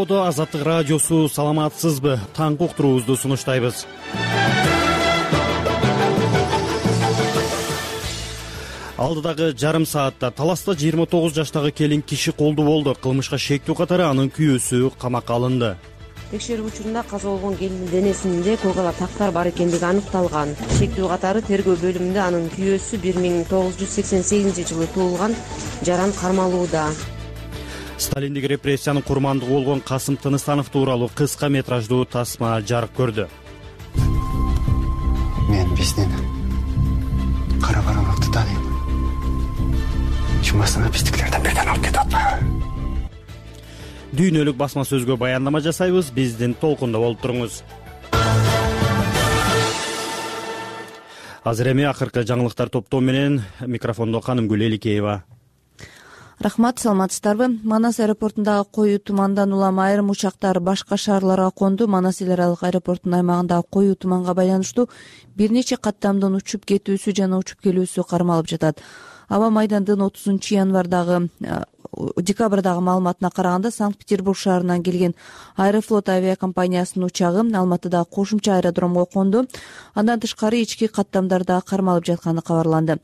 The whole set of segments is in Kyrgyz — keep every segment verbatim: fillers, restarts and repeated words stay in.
Колоодо Азаттык радиосу, саламатсызбы? Таңкы уктуруубузду сунуштайбыз. Алдыдагы жарым саатта Таласта жыйырма тогуз жаштагы келин киши колду болду. Кылмышка шектүү катары анын күйөөсү камакка алынды. Текшерүү учурунда каза болгон келиндин денесинде кылгала тактар бар экендиги аныкталган. Шектүү катары тергөө бөлүмүндө анын күйөөсү бир миң тогуз жүз сексен сегизинчи жылы туулган Жаран кармалууда. Сталиндик репрессиянын курмандыгы болгон Касым Тыныстанов тууралуу кыска метраждуу тасма жарык көрдү. Мен биздин кара бармакты тааныйм. Чумасына биздикилерден бирден алып кетип атпайбы? Дүйнөлүк басма сөзгө баяндама жасайбыз. Биздин толкунда болуп туруңуз. Азыр эми акыркы жаңылыктар топтоо менен микрофондо Канымгүл Эликеева. Рахмат, саламатсыздарбы? Манас аэропортундагы коюу тумандан улам айрым учактар башка шаарларга конду. Манас эл аралык аэропортунун аймагындагы коюу туманга байланыштуу бир нече каттамдын учуп кетүүсү жана учуп келүүсү кармалып жатат. Аба майдандын отузунчу январдагы декабрдагы маалыматына караганда Санкт-Петербург шаарынан келген Аэрофлот авиакомпаниясынын учагы Алматыдагы кошумча аэродромго конду. Андан тышкары ички каттамдарда кармалып жатканы кабарланды.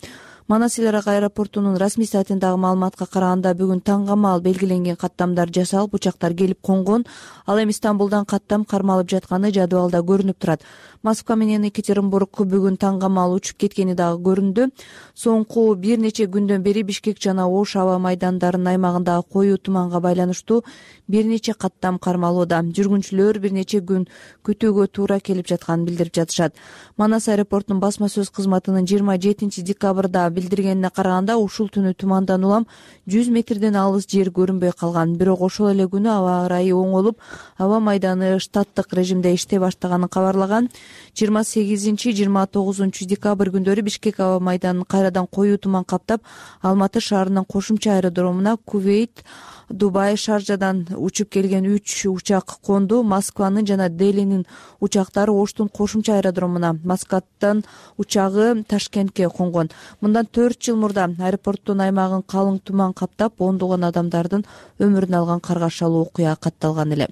Манас эл аралык аэропортунун расмий сайтындагы маалыматка караганда бүгүн таңга маал белгиленген каттамдар жасалып, учактар келип конгон. Ал эми Стамбулдан каттам кармалып жатканы жадыбалда көрүнүп турат. Москва менен Екатеринбург бүгүн таңга маал учуп кеткени дагы көрүндү. Соңку бир нече күндөн бери Бишкек жана Ош аба майдандарынын аймагындагы коюу туманга байланыштуу бир нече каттам кармалууда. Жүргүнчүлөр бир нече күн күтүүгө туура келип жатканын билдирип жатышат. Манас аэропортунун басма сөз кызматынын жыйырма жетинчи декабрда билдиргенине караганда ушул түнү тумандан улам жүз метрден алыс жер көрүнбөй калган. Бирок ошол эле күнү аба ырайы оңолуп, аба майданы штаттык режимде иштей баштаганын кабарлаган. жыйырма сегизинчи жыйырма тогузунчу декабрь күндөрү Бишкек аба майданын кайрадан коюу туман каптап, Алматы шаарынын кошумча аэродромуна Кувейт, Дубай, Шаржадан учуп келген үч учак конду. Москванын жана Делинин учактары Оштун кошумча аэродромуна, Маскаттын учагы Ташкентке конгон. Мындан төрт жыл мурда аэропорттун аймагын калың туман каптап, ондогон адамдардын өмүрүн алган каргашалуу окуя катталган эле.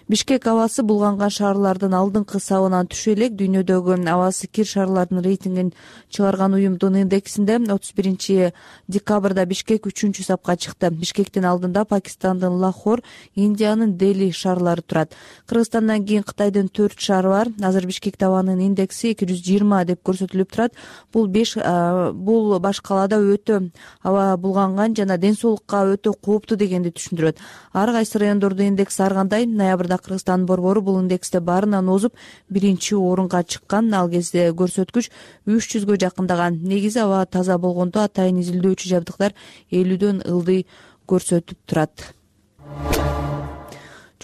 Бишкек абасы булганган шаарлардын алдыңкы сабынан түшө элек. Дүйнөдөгү абасы кир шаарлардын рейтингин чыгарган уюмдун индексинде отуз биринчи декабрда Бишкек үчүнчү сапка чыкты. Бишкектин алдында Пакистандын Лахор, Индиянын Дели шаарлары турат. Кыргызстандан кийин Кытайдын төрт шаары бар. Азыр Бишкекте абанын индекси эки жүз жыйырма деп көрсөтүлүп турат. Бул беш бул баш калаада өтө аба булганган жана ден соолукка өтө кооптуу дегенди түшүндүрөт. Ар кайсы райондордо индекс ар кандай. Ноябрда Кыргызстандын борбору бул индексте баарынан озуп биринчи орунга чыккан. Ал кезде көрсөткүч үч жүзгө жакындаган. Негизи аба таза болгондо атайын изилдөөчү жабдыктар элүүдөн ылдый көрсөтүп турат.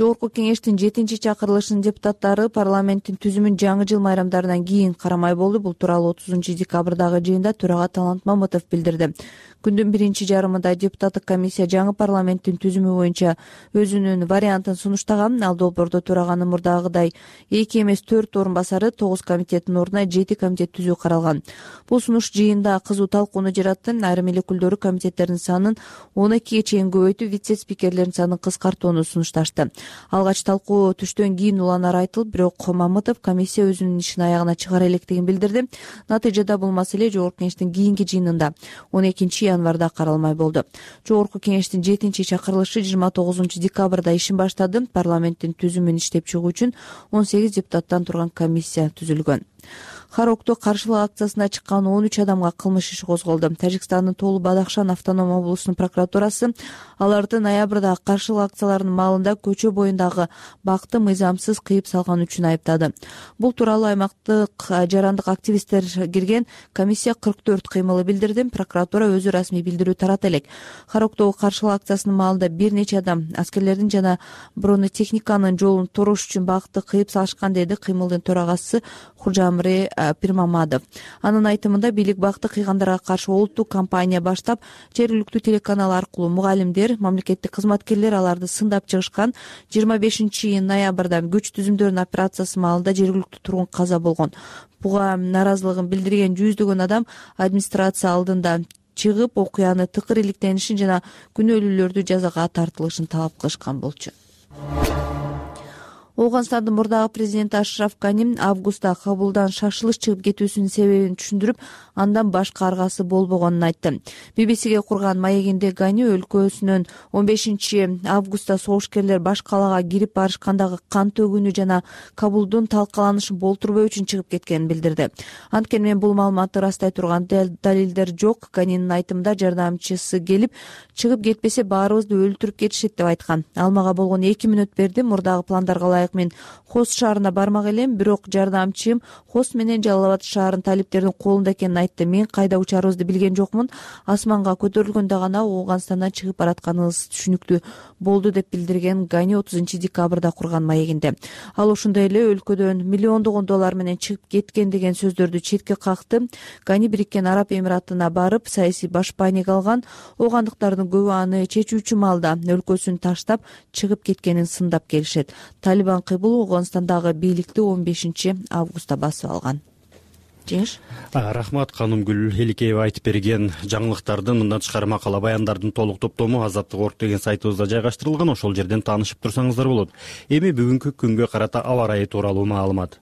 Жогорку кеңештин жетинчи чакырылышынын депутаттары парламенттин түзүмүн жаңы жыл майрамдарынан кийин карамай болду. Бул тууралуу отузунчу декабрдагы жыйында төрага Талант Мамытов билдирди. Күндүн биринчи жарымында депутаттык комиссия жаңы парламенттин түзүмү боюнча өзүнүн вариантын сунуштаган. Ал долбоордо төраганын мурдагыдай эки эмес төрт орун басары, тогуз комитеттин ордуна жети комитет түзүү каралган. Бул сунуш жыйында кызуу талкууну жаратты. Айрым эл өкүлдөрү комитеттердин санын он экиге чейин көбөйтүп, вице-спикерлердин санын кыскартууну сунушташты. Алгач талкуу түштөн кийин уланары айтылып, бирок Мамытов комиссия өзүнүн ишин аягына чыгара электигин билдирди. Натыйжада бул маселе жогорку кеңештин кийинки жыйынында он экинчи январда каралмай болду. Жогорку кеңештин жетинчи чакырылышы жыйырма тогузунчу декабрда ишин баштады. Парламенттин түзүмүн иштеп чыгуу үчүн он сегиз депутаттан турган комиссия түзүлгөн. Харокто каршылык акциясына чыккан он үч адамга кылмыш иши козголду. Тажикстандын Толу Бадахшан автоном облусунун прокуратурасы аларды ноябрда каршылык акцияларынын маалында көчө боюндагы бакты мыйзамсыз кыйып салган үчүн айыптады. Бул тууралуу аймактык жарандык активисттер кирген комиссия кырк төрт кыймылы билдирди. Прокуратура өзү расмий билдирүү тарата элек. Хароктогу каршылык акциясынын маалында бир нече адам аскерлердин жана бронетехниканын жолун торош үчүн бакты кыйып салышкан, деди кыймылдын төрагасы Хужамри Пирмамадов. Анын айтымында бийлик бакты кыйгандарга каршы улуттук кампания баштап, жергиликтүү телеканал аркылуу мугалимдер, мамлекеттик кызматкерлер аларды сындап чыгышкан. жыйырма бешинчи ноябрда күч түзүмдөрүнүн операциясы маалында жергиликтүү тургун каза болгон. Буга наразылыгын билдирген жүздөгөн адам администрация алдында чыгып, окуяны тыкыр иликтенишин жана күнөөлүүлөрдү жазага тартылышын талап кылышкан болчу. Ооганстандын мурдагы президенти Ашраф Гани августта Кабулдан шашылыш чыгып кетүүсүнүн себебин түшүндүрүп, андан башка аргасы болбогонун айтты. би би сиге курган маегинде Гани өлкөсүнөн он бешинчи августта согушкерлер баш калаага кирип барышкандагы кан төгүүнү жана Кабулдун талкаланышын болтурбоо үчүн чыгып кеткенин билдирди. Анткени мен бул маалыматты ырастай турган далилдер жок. Ганинин айтымында жардамчысы келип чыгып кетпесе баарыбызды өлтүрүп кетишет деп айткан. Ал мага болгон эки мүнөт берди. Мурдагы пландарга ылайык мен Хост шаарына бармак элем, бирок жардамчым Хост менен Жалал Абад шаарынын талиптердин колунда экенин айтты. Мен кайда учарыбызды билген жокмун. Асманга көтөрүлгөндө гана Ооганстандан чыгып баратканыбыз түшүнүктүү болду деп билдирген Гани отузунчу декабрда курган маегинде. Ал ошондой эле өлкөдөн миллиондогон доллар менен чыгып кеткен деген сөздөрдү четке какты. Гани Бириккен Араб Эмиратына барып саясий башпайник алган. Оогандыктардын көбү аны чечүүчү маалда өлкөсүн таштап чыгып кеткенин сындап келишет. Талибан кыйбыл Ооганстандагы бийликти он бешинчи августта басып алган. Жеңиш. Рахмат Канымгүл Эликеева айтып берген жаңылыктардын мындан тышкары макала баяндардын толук топтому Азаттык орг деген сайтыбызда жайгаштырылган. Ошол жерден таанышып турсаңыздар болот. Эми бүгүнкү күнгө карата аба ырайы тууралуу маалымат.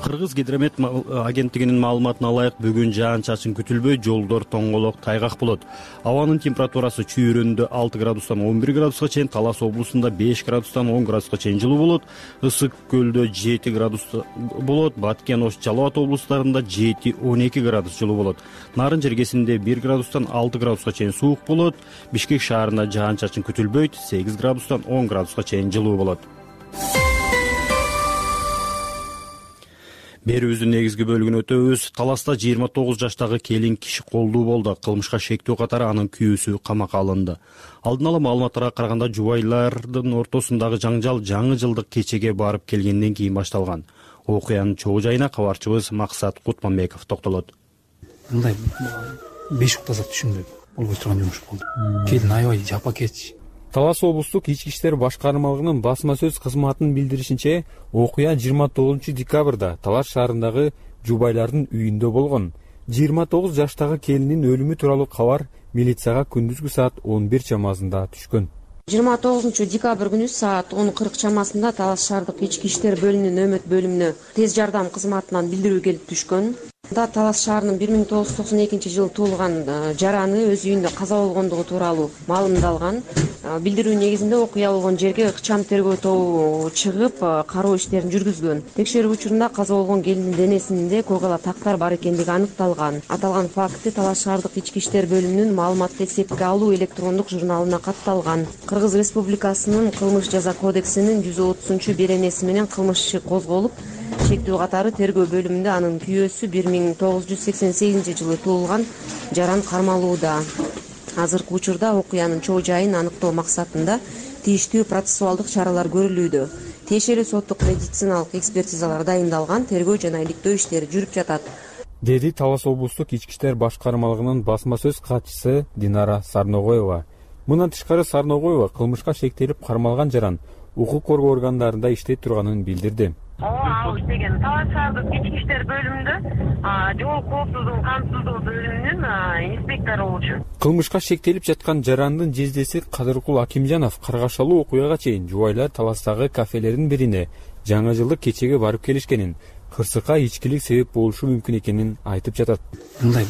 Кыргыз гидромет агенттигинин маалыматына ылайык бүгүн жаан-чачын күтүлбөй, жолдор тоңголок, тайгак болот. Абанын температурасы Чүйүрөндө алты градустан он бир градуска чейин, Талас облусунда беш градустан он градуска чейин жылуу болот. Ысык көлдө жети градус болот. Баткен, Ош, Жалал Абад облустарында жети он эки градус жылуу болот. Нарын жергесинде бир градустан алты градуска чейин суук болот. Бишкек шаарында жаан-чачын күтүлбөйт, сегиз градустан он градуска чейин жылуу болот. Берүүбүздүн негизги бөлүгүнө өтөбүз. Таласта жыйырма тогуз жаштагы келин киши колдуу болду. Кылмышка шектүү катары анын күйөөсү камакка алынды. Алдын ала маалыматтарга караганда жубайлардын ортосундагы жаңжал жаңы жылдык кечеге барып келгенден кийин башталган. Окуянын чогуу жайына кабарчыбыз Максат Кутманбеков токтолот. Мындай беш уктаса түшүнбөй болбой турган жумуш болду. Келин аябай жапа кетчи. Талас облустук ички иштер башкармалыгынын басма сөз кызматынын билдиришинче, окуя жыйырма тогузунчу декабрда Талас шаарындагы жубайлардын үйүндө болгон. жыйырма тогуз жаштагы келиндин өлүмү тууралуу кабар милицияга күндүзгү саат он бир чамасында түшкөн. жыйырма тогузунчу декабрь күнү саат он кырк чамасында Талас шаардык ички иштер бөлүмүнүн өмөт бөлүмүнө тез жардам кызматынан билдирүү келип түшкөн. Талас шаарынын бир миң тогуз жүз токсон экинчи жылы туулган жараны өз үйүндө каза болгондугу тууралуу маалымдалган. Билдирүү негизинде окуя болгон жерге ыкчам тергөө тобу чыгып, кароо иштерин жүргүзгөн. Текшерүү учурунда каза болгон келиндин денесинде койгала тактар бар экендиги аныкталган. Аталган факты Талас шаардык ички иштер бөлүмүнүн маалыматты эсепке алуу электрондук журналына катталган. Кыргыз Республикасынын кылмыш жаза кодексинин жүз отузунчу беренеси менен кылмыш иши козголуп, шектүү катары тергөө бөлүмүндө анын күйөөсү бир миң тогуз жүз сексен сегизинчи жылы туулган жаран кармалууда. Азыркы учурда окуянын чоо жайын аныктоо максатында тийиштүү процессуалдык чаралар көрүлүүдө. Тиешелүү соттук медициналык экспертизалар дайындалган, тергөө жана иликтөө иштери жүрүп жатат, деди Талас облустук ички иштер башкармалыгынын басма сөз катчысы Динара Сарногоева. Мындан тышкары Сарногоева кылмышка шектелип кармалган жаран укук коргоо органдарында иштей турганын билдирди. Ал иштеген Талас шаардык ички иштер бөлүмүндө жол коопсуздугун камсыздоо бөлүмүнүн инспектору болчу. Кылмышка шектелип жаткан жарандын жездеси Кадыркул Акимжанов каргашалуу окуяга чейин жубайлар Таластагы кафелердин бирине жаңы жылдык кечеге барып келишкенин, кырсыкка ичкилик себеп болушу мүмкүн экенин айтып жатат. Мындай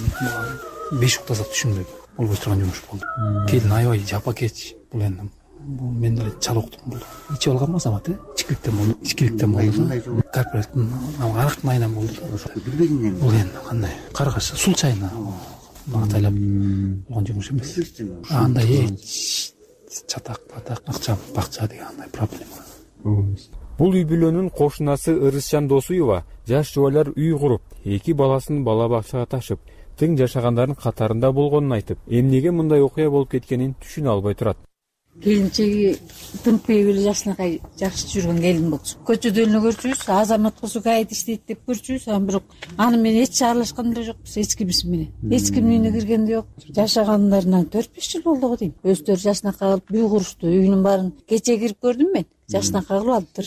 беш уктаса түшүнбөй болбой турган жумуш болду. Келин аябай жапа кетчи. Бул энди бул мен деле чал уктум бул. Ичип алган масамат, ичкиликтен болду, ичкиликтен болду. Корпораттын арактын айынан болду. Бул энди кандай каргаш сул чайына батайлап болгон жумуш эмес. Андай эч чатак, батак, акча, бакча деген андай проблема. Бул үй бүлөнүн кошунасы Ырысжан Досуева жаш жубайлар үй куруп, эки баласын бала бакчага ташып, тең жашагандардын катарында болгонун айтып, эмнеге мындай окуя болуп кеткенин түшүнө албай турат. Келинчеги тынпай эле жашынакай жакшы жүргөн келин болчу. Көчөдө эле көрчүбүз, азамат болсо кайда иштейт деп көрчүбүз, анан бирок аны менен эч аралашкан деле жокпуз, эч кимис менен. Эч кимдин үйүнө кирген да жок. Жашагандарынан төрт беш жыл болду го дейм. Өздөрү жашынакай кылып үй курушту. Үйүнүн баарын кече кирип көрдүм мен. Жашынакай кылып алыптыр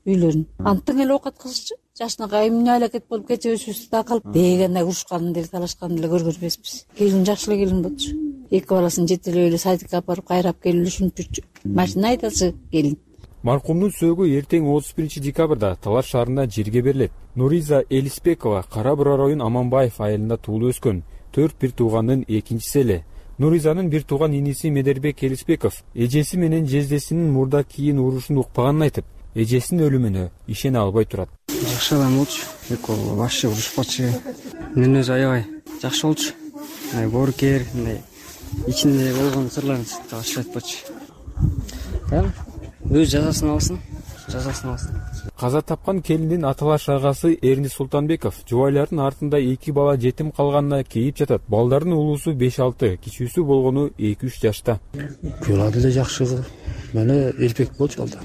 үйлөрүн. Антын эле оокат кылышчу. Жашынакай эмне алакет болуп кече өсүбүздү да калып дегенде урушканын деле талашканын деле көргөн эмеспиз. Келин жакшы эле келин болчу. эки баласын жетелеп эле садикке алып барып кайрап келип ушинтип жүрчү. Машина айдачы келин. Маркумдун сөөгү эртең отуз биринчи декабрда Талаш шаарында жерге берилет. Нуриза Элисбекова Кара Бура район Аманбаев айылында туулуп өскөн. Төрт бир туугандын экинчиси эле. Нуризанын бир тууган иниси Медербек Элисбеков эжеси менен жездесинин мурда кийин урушун укпаганын айтып, эжесинин өлүмүнө ишене албай турат. Жакшы адам болчу, экөө вообще урушпачу. Мен өзү аябай жакшы болчу. Мындай боорукер, мындай ичинде болгон сырларын тагыш айтпачу. Эм, өз жазасын алсын, жазасын алсын. Каза тапкан келиндин аталаш агасы Эрни Султанбеков жубайлардын артында эки бала жетим калганына кейип жатат. Балдардын улуусу беш алты, кичүүсү болгону эки үч жашта. Күйөөла деле жакшы, мени элбек болчу алда.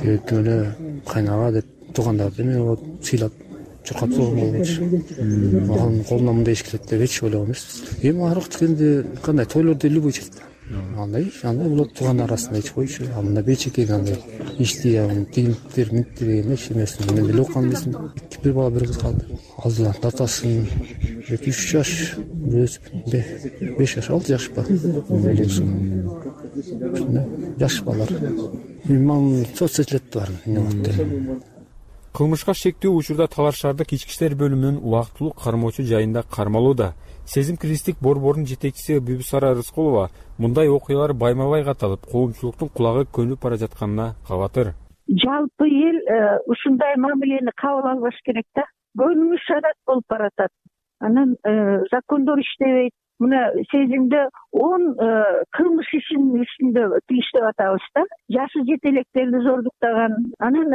Тек эле кайнага деп туугандарды мен вот сыйлап чуркап койгон болчу. Анын колунан мындай иш келет деп эч ойлогон эмеспиз. Эми арак дегенде кандай тойлордо любой чет. Андай, андай болот туугандар арасында эч койчу. А мында бечекеге андай ишти, тигинтер, минтер деген эч нерсени мен деле окуган эмесмин. Бир бала бир кыз калды. Алдынан татасын эки үч жаш, беш жаш, алты жаш ба. Жаш балар. Мен соцсетлетте бар. Кылмышка шектүү учурда Талаш шаардык ички иштер бөлүмүнүн убактылуу кармоочу жайында кармалууда. Сезим-кристик борборунун жетекчиси Бүбүсара Рыскулова мындай окуялар байма-бай катталып, коомчулуктун кулагы көнүп бара жатканына кабатыр. Жалпы эл ушундай мамилени кабыл албаш керек да. Көнүмүш адат болуп баратат. Анан закондор иштебейт. Мына сезимде он кылмыш ишинин үстүндө иштеп атабыз да. Жашы жетелектерди зордуктаган, анан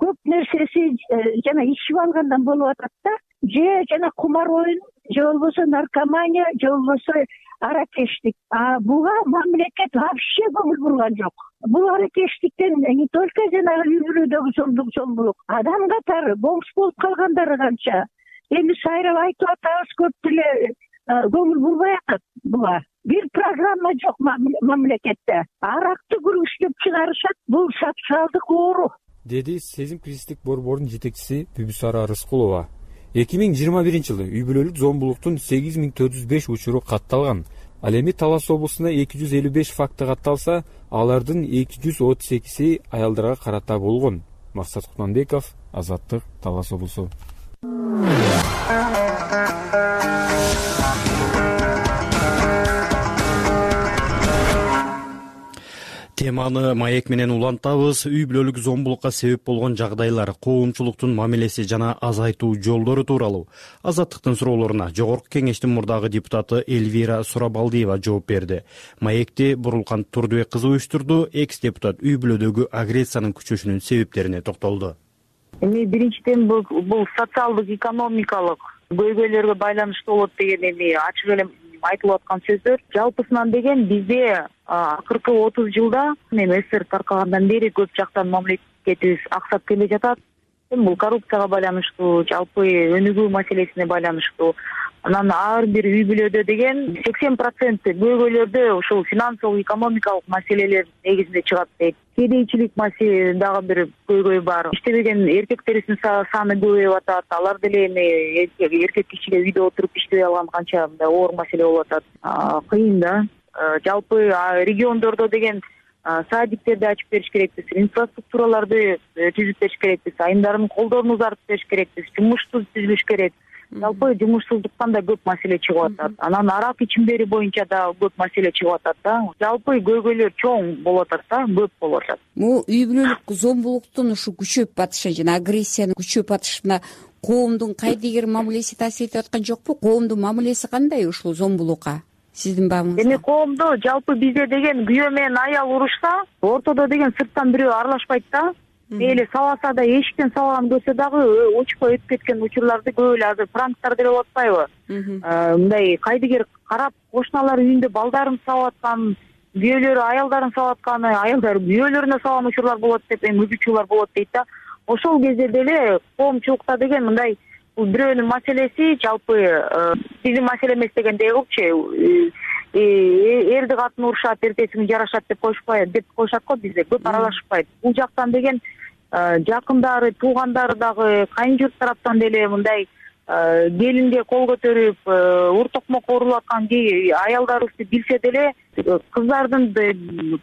көп нерсеси жана ичип алгандан болуп атат да. Же жана кумар оюн, же болбосо наркомания, же болбосо аракештик. А буга мамлекет вообще көңүл бурган жок. Бул аракештиктен не только жанагы үй бүлөдөгү зомдук зомбулук, адам катары бомж болуп калгандары канча. Эми сайрап айтып атабыз, көп деле көңүл бурбай атат буга. Бир программа жок мамлекетте. Аракты күрүштүп чыгарышат, бул социалдык оору. Деди Сезим-кристик борборунун жетекчиси Бүбүсара Рыскулова. эки миң жыйырма биринчи жылы үй бүлөлүк зомбулуктун сегиз миң төрт жүз беш учуру катталган. Ал эми Талас облусунда эки жүз элүү беш факты катталса, алардын эки жүз отуз экиси аялдарга карата болгон. Максат Кутманбеков, Азаттык, Талас облусу. Теманы маек менен улантабыз. Үй бүлөлүк зомбулукка себеп болгон жагдайлар, коомчулуктун мамилеси жана азайтуу жолдору тууралуу Азаттыктын суроолоруна Жогорку Кеңештин мурдагы депутаты Эльвира Сурабалдиева жооп берди. Маекти Бурулкан Турдубек кызы уюштурду. Экс-депутат үй бүлөдөгү агрессиянын күчөшүнүн себептерине токтолду. Эми биринчиден бул социалдык, экономикалык көйгөйлөргө байланыштуу болот деген эми ачык эле айтылып аткан сөздөр. Жалпысынан деген бизде акыркы отуз жылда эми СССР таркагандан бери көп жактан мамлекетибиз аксап келе жатат. Бул коррупцияга байланыштуу, жалпы өнүгүү маселесине байланыштуу. Анан ар бир үй бүлөдө деген сексен процент көйгөйлөрдө ушул финансылык, экономикалык маселелер негизинде чыгат дейт. Кедейчилик маселе дагы бир көйгөй бар. Иштебеген эркектерибиздин саны көбөйүп атат. Алар деле эми эркек кишиге үйдө отуруп иштебей алган канча мындай оор маселе болуп атат. Кыйын да. Жалпы региондордо деген садиктерди ачып бериш керекпиз, инфраструктураларды түзүп бериш керекпиз, айымдардын колдорун узартып бериш керекпиз, жумушту түзүлүш керек. Жалпы жумушсуздуктан да көп маселе чыгып атат. Анан арак ичимдери боюнча да көп маселе чыгып атат да. Жалпы көйгөйлөр чоң болуп атат да, көп болуп атат. Бул үй бүлөлүк зомбулуктун ушу күчөп батышы жана агрессиянын күчөп батышына коомдун кайдыгер мамилеси таасир этип аткан жокпу? Коомдун мамилеси кандай ушул зомбулукка? Сиздин баамыңызда? Эми коомдо жалпы бизде деген күйөө менен аял урушса, ортодо деген сырттан бирөө аралашпайт да. Мейли саласа да, эшиктен салган көрсө дагы учпай өтүп кеткен учурларды көп эле азыр пранктар деле болуп атпайбы? Мындай кайдыгер карап кошуналар үйүндө балдарын сабап аткан, күйөөлөрү аялдарын сабап аткан, аялдар күйөөлөрүнө салган учурлар болот деп эми учурлар болот дейт да. Ошол кезде деле коомчулукта деген мындай бул бирөөнүн маселеси жалпы биздин маселе эмес дегендей кылчу. Эрди катын урушат, эртеси күнү жарашат деп коюшпайт, деп коюшат го бизде, көп аралашпайт. Бул жактан деген жакындары, туугандары дагы, кайын журт тараптан деле мындай келинге кол көтөрүп ур токмокко урулуп аткан аялдарыбызды билсе деле, кыздардын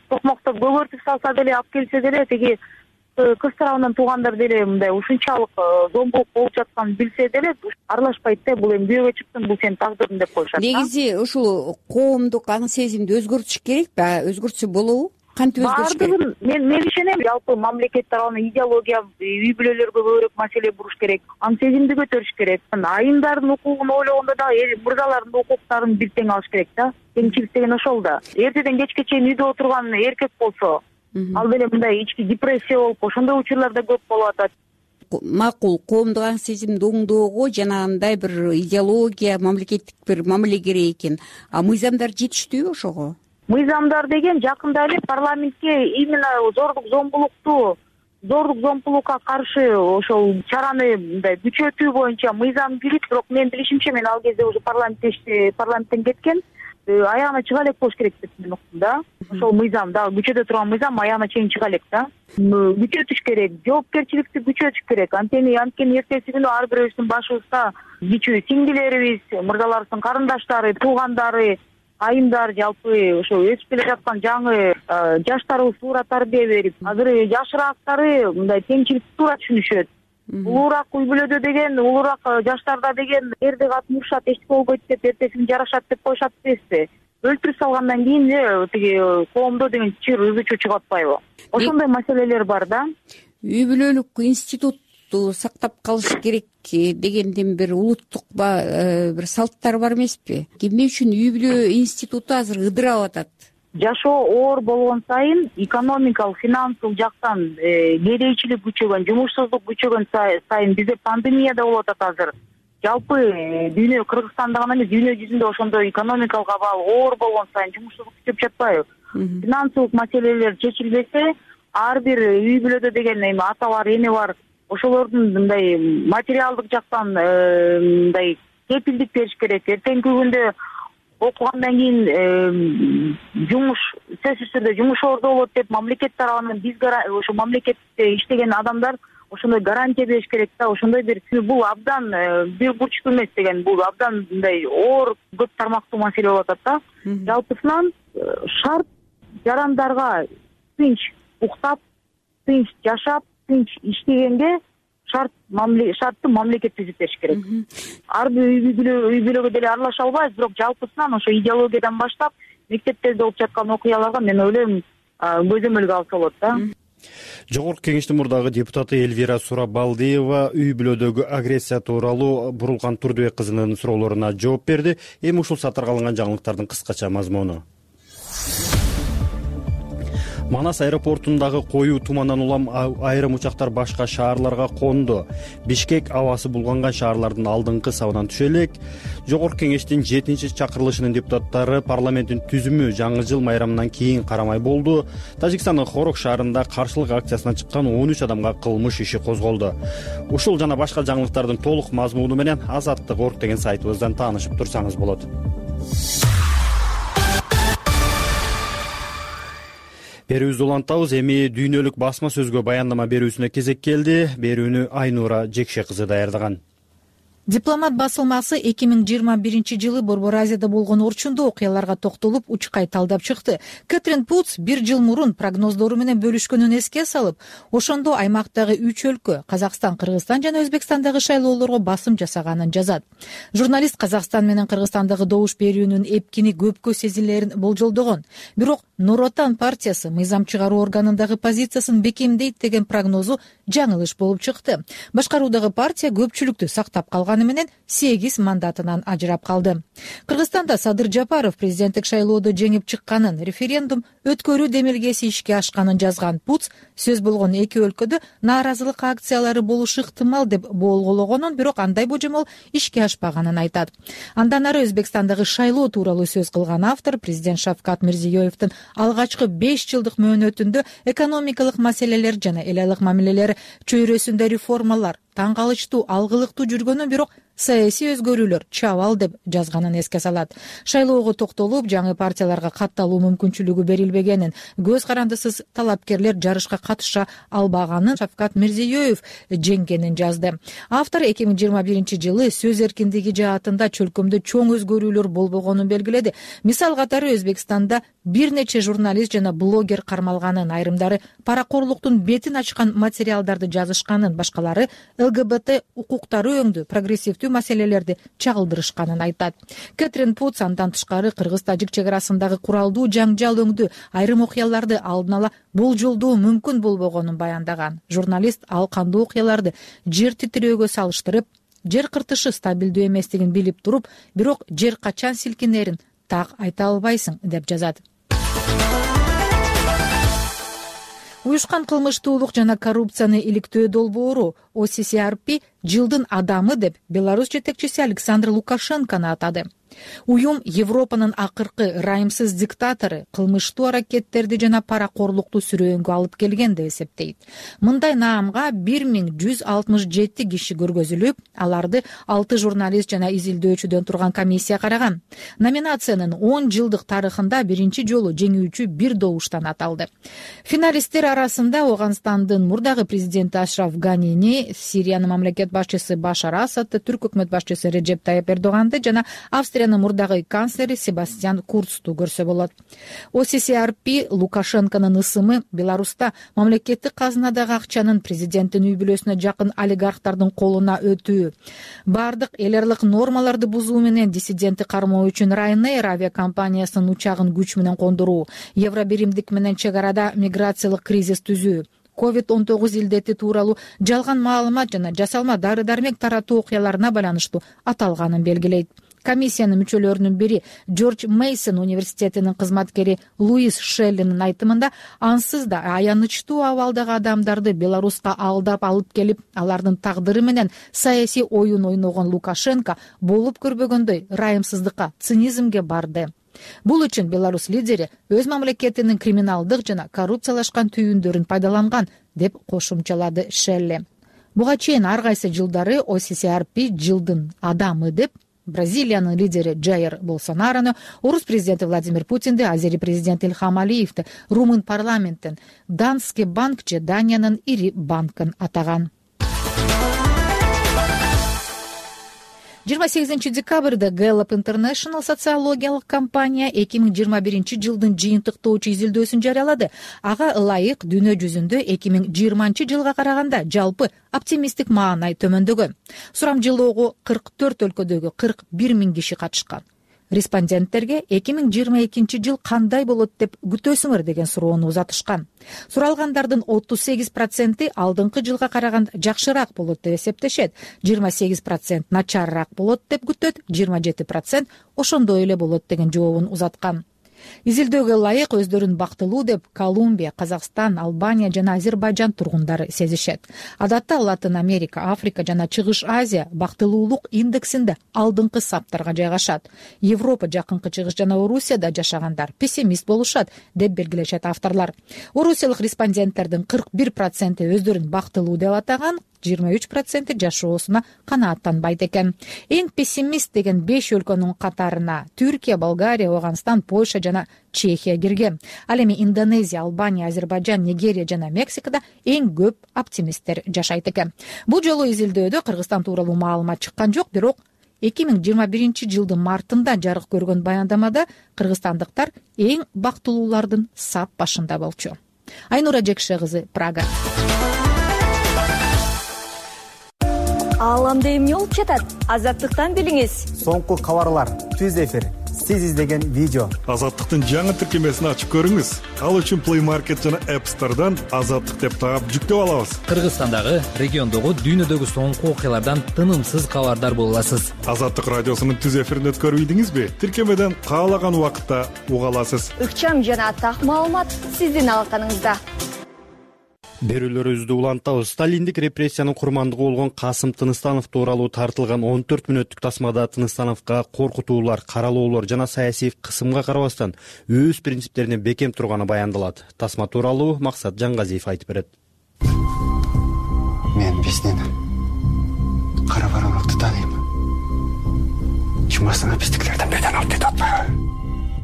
токмоктоп көгөртүп салса деле, алып келсе деле, тиги кыз тарабынан туугандар деле мындай ушунчалык зомбулук болуп жатканын билсе деле аралашпайт да. Бул эми күйөөгө чыктың, бул сенин тагдырың деп коюшат. Негизи ушул коомдук аң сезимди өзгөртүш керекпи? Өзгөртсө болобу? Кантип өзгөрүш керек? Баардыгын мен мен ишенем. Жалпы мамлекет тарабынан идеология, үй бүлөлөргө көбүрөөк маселе буруш керек, аң сезимди көтөрүш керек. Айымдардын укугун ойлогондо да мырзалардын да укуктарын бир тең алыш керек да. Теңчилик деген ошол да. Эртеден кечке чейин үйдө отурган эркек болсо, ал деле мындай ички депрессия болуп, ошондой учурлар да көп болуп атат. Макул, коомдук аң сезимди оңдоого жанагындай бир идеология, мамлекеттик бир мамиле керек экен. А мыйзамдар жетиштүүбү ошого? Мыйзамдар деген жакында эле парламентке именно зордук зомбулукту, зордук зомбулукка каршы ошол чараны мындай күчөтүү боюнча мыйзам кирип, бирок менин билишимче мен ал кезде уже парламентте парламенттен кеткен, аягына чыга элек болуш керек деп мен уктум да. Ошол мыйзам да, күчөтө турган мыйзам аягына чейин чыга элек да. Күчөтүш керек, жоопкерчиликти күчөтүш керек. Анткени анткени эртеси күнү ар бирөөбүздүн башыбызда кичүү сиңдилерибиз, мырзаларыбыздын карындаштары, туугандары, айымдар, жалпы ошо өсүп келе жаткан жаңы жаштарыбыз туура тарбия берип, азыр жашыраактары мындай теңчиликти туура түшүнүшөт. Улуураак үй бүлөдө деген, улуураак жаштарда деген эрди катын урушат, эчтеке болбойт деп, эртеси күнү жарашат деп коюшат эмеспи? Өлтүрүп салгандан кийин эле тиги коомдо деген чыр ызы чугуп атпайбы? Ошондой маселелер бар да. Үй бүлөлүк институтту сактап калыш керек дегендин бир улуттук бир салттар бар эмеспи? Эмне үчүн үй бүлө институту азыр ыдырап атат? Жашоо оор болгон сайын экономикалык, финансылык жактан кедейчилик күчөгөн, жумушсуздук күчөгөн сайын бизде пандемия да болуп атат азыр. Жалпы дүйнө, Кыргызстанда гана эмес, дүйнө жүзүндө ошондой экономикалык абал оор болгон сайын жумушсуздук күчөп жатпайбы? Финансылык маселелер чечилбесе, ар бир үй бүлөдө деген эми ата бар, эне бар, ошолордун мындай материалдык жактан мындай кепилдик бериш керек. Эртеңки күндө окугандан кийин жумуш, сөзсүз түрдө жумуш ордо болот деп мамлекет тарабынан биз ошо мамлекетте иштеген адамдар ошондой гарантия бериш керек да. Ошондой бир бул абдан бир бурчтуу эмес деген, бул абдан мындай оор көп тармактуу маселе болуп атат да. Жалпысынан шарт жарандарга тынч уктап, тынч жашап, тынч иштегенге шарт шартты мамлекет түзүп бериш керек. Ар бир үй бүлөгө деле аралаша албайбыз, бирок жалпысынан ошо идеологиядан баштап мектептерде болуп жаткан окуяларга мен ойлойм көзөмөлгө алса болот да. Жогорку кеңештин мурдагы депутаты Эльвира Сурабалдиева үй бүлөдөгү агрессия тууралуу Бурулкан Турдубек кызынын суроолоруна жооп берди. Эми ушул сатырга алынган жаңылыктардын кыскача мазмуну. Манас аэропортундагы коюу тумандан улам айрым учактар башка шаарларга конду. Бишкек абасы булганган шаарлардын алдыңкы сабынан түшө элек. Жогорку кеңештин жетинчи чакырылышынын депутаттары парламенттин түзүмү жаңы жыл майрамынан кийин карамай болду. Тажикстандын Хорок шаарында каршылык акциясына чыккан он үч адамга кылмыш иши козголду. Ушул жана башка жаңылыктардын толук мазмуну менен Азаттык орг деген сайтыбыздан таанышып турсаңыз болот. Берүүбүздү улантабыз. Эми дүйнөлүк басма сөзгө баяндама берүүсүнө кезек келди. Берүүнү Айнура Жекше кызы даярдаган. Дипломат басылмасы эки миң жыйырма биринчи жылы Борбор Азияда болгон орчундуу окуяларга токтолуп, учкай талдап чыкты. Кэтрин Путс бир жыл мурун прогноздору менен бөлүшкөнүн эске салып, ошондо аймактагы үч өлкө — Казакстан, Кыргызстан жана Өзбекстандагы шайлоолорго басым жасаганын жазат. Журналист Казакстан менен Кыргызстандагы добуш берүүнүн эпкини көпкө сезилерин болжолдогон. Бирок Нур Отан партиясы мыйзам чыгаруу органындагы позициясын бекемдейт деген прогнозу жаңылыш болуп чыкты. Башкаруудагы партия көпчүлүктү сактап калган менен сегиз мандатынан ажырап калды. Кыргызстанда Садыр Жапаров президенттик шайлоодо жеңип чыкканын, референдум өткөрүү демилгеси ишке ашканын жазган Путс сөз болгон эки өлкөдө нааразылык акциялары болушу ыктымал деп болгологонун, бирок андай божомол ишке ашпаганын айтат. Андан ары Өзбекстандагы шайлоо тууралуу сөз кылган автор президент Шавкат Мирзиёевдин алгачкы беш жылдык мөөнөтүндө экономикалык маселелер жана эл айлык мамилелер чөйрөсүндө реформалар таң калычтуу, алгылыктуу жүргөнү, бирок саясий өзгөрүүлөр чабал деп жазганын эске салат. Шайлоого токтолуп, жаңы партияларга катталуу мүмкүнчүлүгү берилбеген келбегенин, көз карандысыз талапкерлер жарышка катыша албаганын Шавкат Мирзиёев жеңгенин жазды. Автор эки миң жыйырма биринчи жылы сөз эркиндиги жаатында чөлкөмдө чоң өзгөрүүлөр болбогонун белгиледи. Мисал катары Өзбекстанда бир нече журналист жана блогер кармалганын, айрымдары паракорлуктун бетин ачкан материалдарды жазышканын, башкалары ЛГБТ укуктары өңдүү прогрессивдүү маселелерди чагылдырышканын айтат. Кэтрин Путс андан тышкары кыргыз-тажик чек арасындагы куралдуу жаңжал өңдүү айрым окуяларды алдын ала болжолдоо мүмкүн болбогонун баяндаган. Журналист ал кандуу окуяларды жер титирөөгө салыштырып, жер кыртышы стабилдүү эместигин билип туруп, бирок жер качан силкинерин так айта албайсың деп жазат. Уюшкан кылмыштуулук жана коррупцияны иликтөө долбоору О С С R P жылдын адамы деп Беларусь жетекчиси Александр Лукашенкону атады. Уюм Европанын акыркы ырайымсыз диктатору кылмыштуу аракеттерди жана паракорлукту сүрөөнгө алып келген деп эсептейт. Мындай наамга бир миң жүз алтымыш жети киши көргөзүлүп, аларды алты журналист жана изилдөөчүдөн турган комиссия караган. Номинациянын он жылдык тарыхында биринчи жолу жеңүүчү бир добуштан аталды. Финалисттер арасында Ооганстандын мурдагы президенти Ашраф Ганини, Сириянын мамлекет башчысы Башар Асадты, Түрк өкмөт башчысы Реджеп Тайып Эрдоганды жана Австриянын мурдагы канцлери Себастьян Курцту көрсө болот. О С С R P Лукашенконун ысымы Беларуста мамлекеттик казынадагы акчанын президенттин үй бүлөсүнө жакын олигархтардын колуна өтүү, бардык эл аралык нормаларды бузуу менен диссидентти кармоо үчүн Ryanair авиакомпаниясынын учагын күч менен кондуруу, Евробиримдик менен чек арада миграциялык кризис түзүү, ковид он тогуз илдети тууралуу жалган маалымат жана жасалма дары-дармек таратуу окуяларына байланыштуу аталганын белгилейт. Комиссиянын мүчөлөрүнүн бири Джордж Мейсон университетинин кызматкери Луис Шеллинин айтымында, ансыз да аянычтуу абалдагы адамдарды Беларуска алдап алып келип, алардын тагдыры менен саясий оюн ойногон Лукашенко болуп көрбөгөндөй ырайымсыздыкка, цинизмге барды. Бул үчүн Беларусь лидери өз мамлекетинин криминалдык жана коррупциялашкан түйүндөрүн пайдаланган деп кошумчалады Шелли. Буга чейин ар кайсы жылдары О С С R P жылдын адамы деп Бразилиянын лидери Джаир Болсонарону, орус президенти Владимир Путинди, азери президенти Ильхам Алиевди, румын парламенттин Данske банк же Даниянын ири банкын атаган. жыйырма сегизинчи декабрда Gallup International социологиялык компания эки миң жыйырма биринчи жылдын жыйынтыктоочу изилдөөсүн жарыялады. Ага ылайык дүйнө жүзүндө эки миң жыйырманчы жылга караганда жалпы оптимисттик маанай төмөндөгөн. Сурамжылоого кырк төрт өлкөдөгү кырк бир миң киши катышкан. Респонденттерге эки миң жыйырма экинчи жыл кандай болот деп күтөсүңөр деген суроону узатышкан. Суралгандардын отуз сегиз проценти алдыңкы жылга караганда жакшыраак болот деп эсептешет, жыйырма сегиз процент начарыраак болот деп күтөт, жыйырма жети процент ошондой эле болот деген жообун узаткан. Изилдөөгө ылайык өздөрүн бактылуу деп Колумбия, Казакстан, Албания жана Азербайжан тургундары сезишет. Адатта Латын Америка, Африка жана Чыгыш Азия бактылуулук индексинде алдыңкы саптарга жайгашат. Европа, Жакынкы Чыгыш жана Орусияда жашагандар пессимист болушат деп белгилешет авторлор. Орусиялык респонденттердин кырк бир проценти өздөрүн бактылуу деп атаган, жыйырма үч проценти жашоосуна канааттанбайт экен. Эң пессимист деген беш өлкөнүн катарына Түркия, Болгария, Ооганстан, Польша жана Чехия кирген. Ал эми Индонезия, Албания, Азербайжан, Нигерия жана Мексикада эң көп оптимисттер жашайт экен. Бул жолу изилдөөдө Кыргызстан тууралуу маалымат чыккан жок, бирок эки миң жыйырма биринчи жылдын мартында жарык көргөн баяндамада кыргызстандыктар эң бактылуулардын сап башында болчу. Айнура Жекше кызы, Прага. Ааламда эмне болуп жатат? Азаттыктан билиңиз. Соңку кабарлар, түз эфир, сиз издеген видео. Азаттыктын жаңы тиркемесин ачып көрүңүз. Ал үчүн Play Market жана App Store'дан Азаттык деп таап жүктөп алабыз. Кыргызстандагы, региондогу, дүйнөдөгү соңку окуялардан тынымсыз кабардар боло аласыз. Азаттык радиосунун түз эфирин өткөрбөйдүңүзбү? Тиркемеден каалаган убакытта уга аласыз. Ыкчам жана так маалымат сиздин алаканыңызда. Берүүлөрүбүздү улантабыз. Сталиндик репрессиянын курмандыгы болгон Касым Тыныстанов тууралуу тартылган он төрт мүнөттүк тасмада Тыныстановго коркутуулар, каралоолор жана саясий кысымга карабастан өз принциптерине бекем турганы баяндалат. Тасма тууралуу Максат Жангазиев айтып берет. Мен биздин кара бараңыкты тааныйм. Чумасына биздикилерден беден алып кетип атпайбы?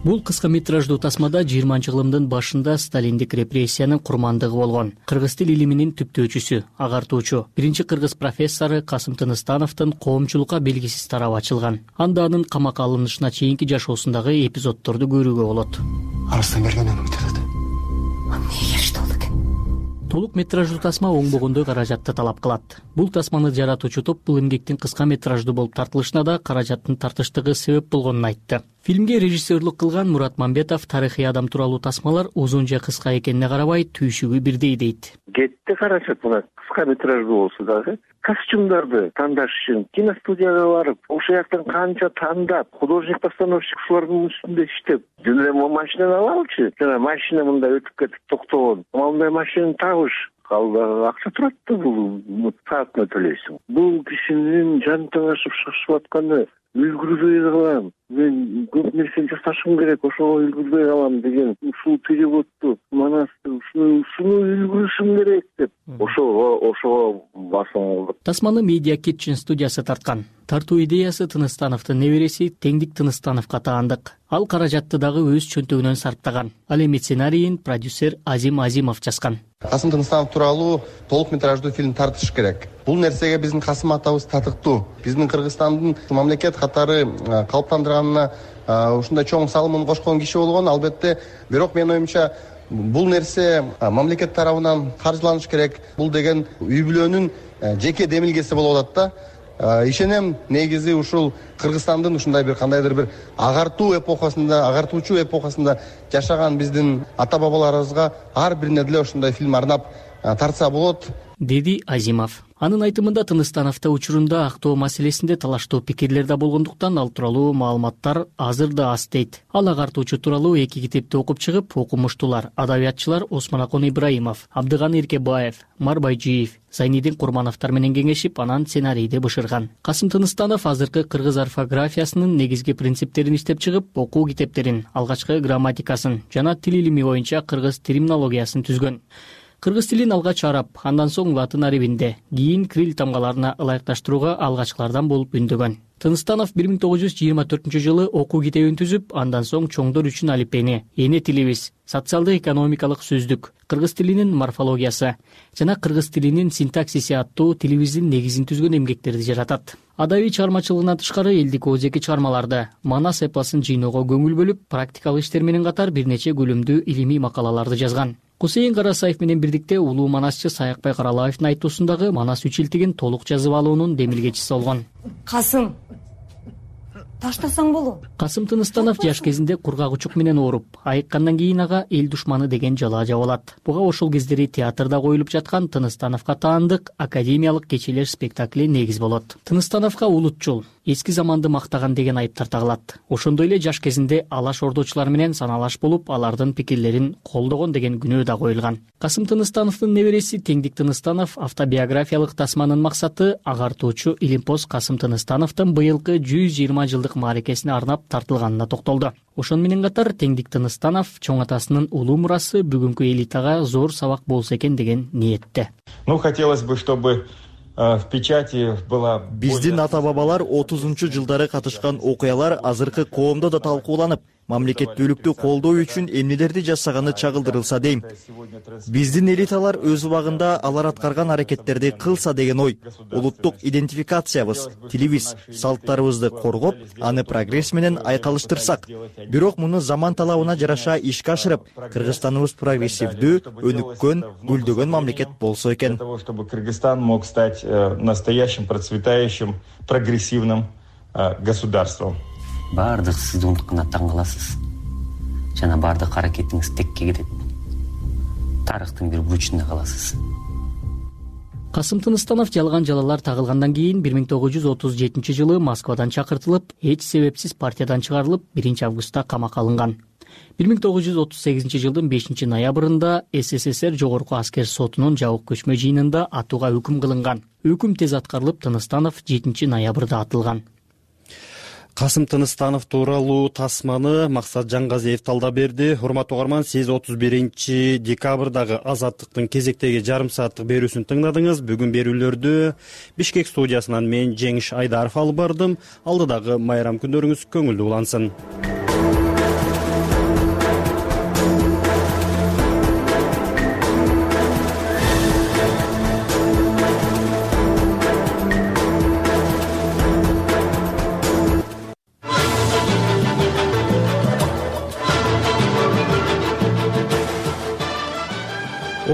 Бул кыска метраждуу тасмада жыйырманчы кылымдын башында сталиндик репрессиянын курмандыгы болгон кыргыз тил илиминин түптөөчүсү, агартуучу биринчи кыргыз профессору Касым Тыныстановдун коомчулукка белгисиз тарабы ачылган. Анда анын камакка алынышына чейинки жашоосундагы эпизоддорду көрүүгө болот. Арыстан берген өмүк жатат. Эмнеге керешти болду экен? Толук метраждуу тасма оңбогондой каражатты талап кылат. Бул тасманы жаратуучу топ бул эмгектин кыска метраждуу болуп тартылышына да каражаттын тартыштыгы себеп болгонун айтты. Фильмге режиссерлук кылган Мурат Мамбетов тарыхый адам тууралуу тасмалар узун же кыска экенине карабай түйшүгү бирдей дейт. Кетти каражат мына кыска метраждуу болсо дагы костюмдарды тандаш үчүн киностудияга барып, ошол жактан канча тандап, художник-постановщик ушулардын үстүндө иштеп, жөн эле машинаны алалычы, жана машина мындай өтүп кетип токтогон. Мындай машинаны табыш калды акча турат да, бул саатына төлөйсүң. Бул кишинин жан таңашып чыгышып атканы үлгүрбөй калам. Мен көп нерсени жасашым керек, ошого үлгүрбөй калам деген ушул переводду манасты ушуну үлгүрүшүм керек деп ошого ошого басым алды. Тасманы Media Kitchen студиясы тарткан. Тартуу идеясы Тыныстановдун небереси Теңдик Тыныстановго таандык. Ал каражатты дагы өз чөнтөгүнөн сарптаган. Ал эми сценарийин продюсер Азим Азимов жазган. Касым Тыныстанов тууралуу толук метраждуу фильм тартыш керек. Бул нерсеге биздин Касым атабыз татыктуу. Биздин Кыргызстандын мамлекет катары калыптандырганына ушундай чоң салымын кошкон киши болгон, албетте. Бирок менин оюмча бул нерсе мамлекет тарабынан каржыланыш керек. Бул деген үй бүлөнүн жеке демилгеси болуп атат да. Ишенем, негизи ушул Кыргызстандын ушундай бир кандайдыр бир агартуу эпохасында, агартуучу эпохасында жашаган биздин ата-бабаларыбызга ар бирине деле ушундай фильм арнап тартса болот, деди Азимов. Анын айтымында Тыныстановдо учурунда актоо маселесинде талаштуу пикирлер да болгондуктан ал тууралуу маалыматтар азыр да аз дейт. Ал агартуучу тууралуу эки китепти окуп чыгып, окумуштуулар, адабиятчылар Осмонакон Ибраимов, Абдыган Эркебаев, Марбайжиев, Зайнидин Курмановдор менен кеңешип, анан сценарийди бышырган. Касым Тыныстанов азыркы кыргыз орфографиясынын негизги принциптерин иштеп чыгып, окуу китептерин, алгачкы грамматикасын жана тил илими боюнча кыргыз терминологиясын түзгөн. Кыргыз тилин алгач араб, андан соң латын арабинде, кийин крил тамгаларына ылайыкташтырууга алгачкылардан болуп үндөгөн. Тыныстанов бир миң тогуз жүз жыйырма төртүнчү жылы окуу китебин түзүп, андан соң чоңдор үчүн алипени, эне тилибиз, социалдык экономикалык сөздүк, кыргыз тилинин морфологиясы жана кыргыз тилинин синтаксиси аттуу тилибиздин негизин түзгөн эмгектерди жаратат. Адабий чыгармачылыгынан тышкары элдик оозеки чыгармаларды, манас эпосун жыйноого көңүл бөлүп, практикалык иштер менен катар бир нече көлөмдүү илимий макалаларды жазган. Кусейин Карасаев менен бирдикте улуу манасчы Саякбай Каралаевдин айтуусундагы манас үчилтигин толук жазып алуунун демилгечиси болгон. Касым, таштасаң болот. Касым Тыныстанов жаш кезинде кургак учук менен ооруп, айыккандан кийин ага эл душманы деген жалаа жабылат. Буга ошол кездери театрда коюлуп жаткан Тыныстановго таандык академиялык кечелер спектакли негиз болот. Тыныстановго улутчул, эски заманды мактаган деген айыптар тагылат. Ошондой эле жаш кезинде алаш ордочулар менен саналаш болуп, алардын пикирлерин колдогон деген күнөө да коюлган. Касым Тыныстановдун небереси Теңдик Тыныстанов автобиографиялык тасманын максаты агартуучу Илимпоз Касым Тыныстановдун быйылкы жүз жыйырма жылдык мааракесине арнап тартылганына токтолду. Ошон менен катар Теңдик Тыныстанов чоң атасынын улуу мурасы бүгүнкү элитага зор сабак болсо экен деген ниетте. Ну, хотелось бы, чтобы в печати была... Биздин ата-бабалар отузунчу жылдары катышкан окуялар азыркы коомдо да талкууланып, мамлекеттүүлүктү колдоо үчүн эмнелерди жасаганы чагылдырылса дейм. Биздин элиталар өз убагында алар аткарган аракеттерди кылса деген ой. Улуттук идентификациябыз, тилибиз, салттарыбызды коргоп, аны прогресс менен айкалыштырсак. Бирок муну заман талабына жараша ишке ашырып, Кыргызстаныбыз прогрессивдүү, өнүккөн, гүлдөгөн мамлекет болсо экен. Для того, чтобы Кыргызстан мог стать настоящим, процветающим, прогрессивным государством. Бардык сиз унуткунда таң каласыз. Жана бардык аракетиңиз текке кетет. Тарыхтын бир бурчунда каласыз. Касым Тыныстанов жалган жалалар тагылгандан кийин бир миң тогуз жүз отуз жетинчи жылы Москвадан чакыртылып, эч себепсиз партиядан чыгарылып, биринчи августта камакка алынган. бир миң тогуз жүз отуз сегизинчи жылдын бешинчи ноябрында СССР Жогорку аскер сотунун жабык көчмө жыйынында атууга өкүм кылынган. Өкүм тез аткарылып, Тыныстанов жетинчи ноябрда атылган. Касым Тыныстанов тууралуу тасманы Максат Жангазиев талдап берди. Урматтуу угарман, сиз отуз биринчи декабрдагы Азаттыктын кезектеги жарым сааттык берүүсүн тыңдадыңыз. Бүгүн берүүлөрдү Бишкек студиясынан мен Жеңиш Айдаров алып бардым. Алдыдагы майрам күндөрүңүз көңүлдүү улансын.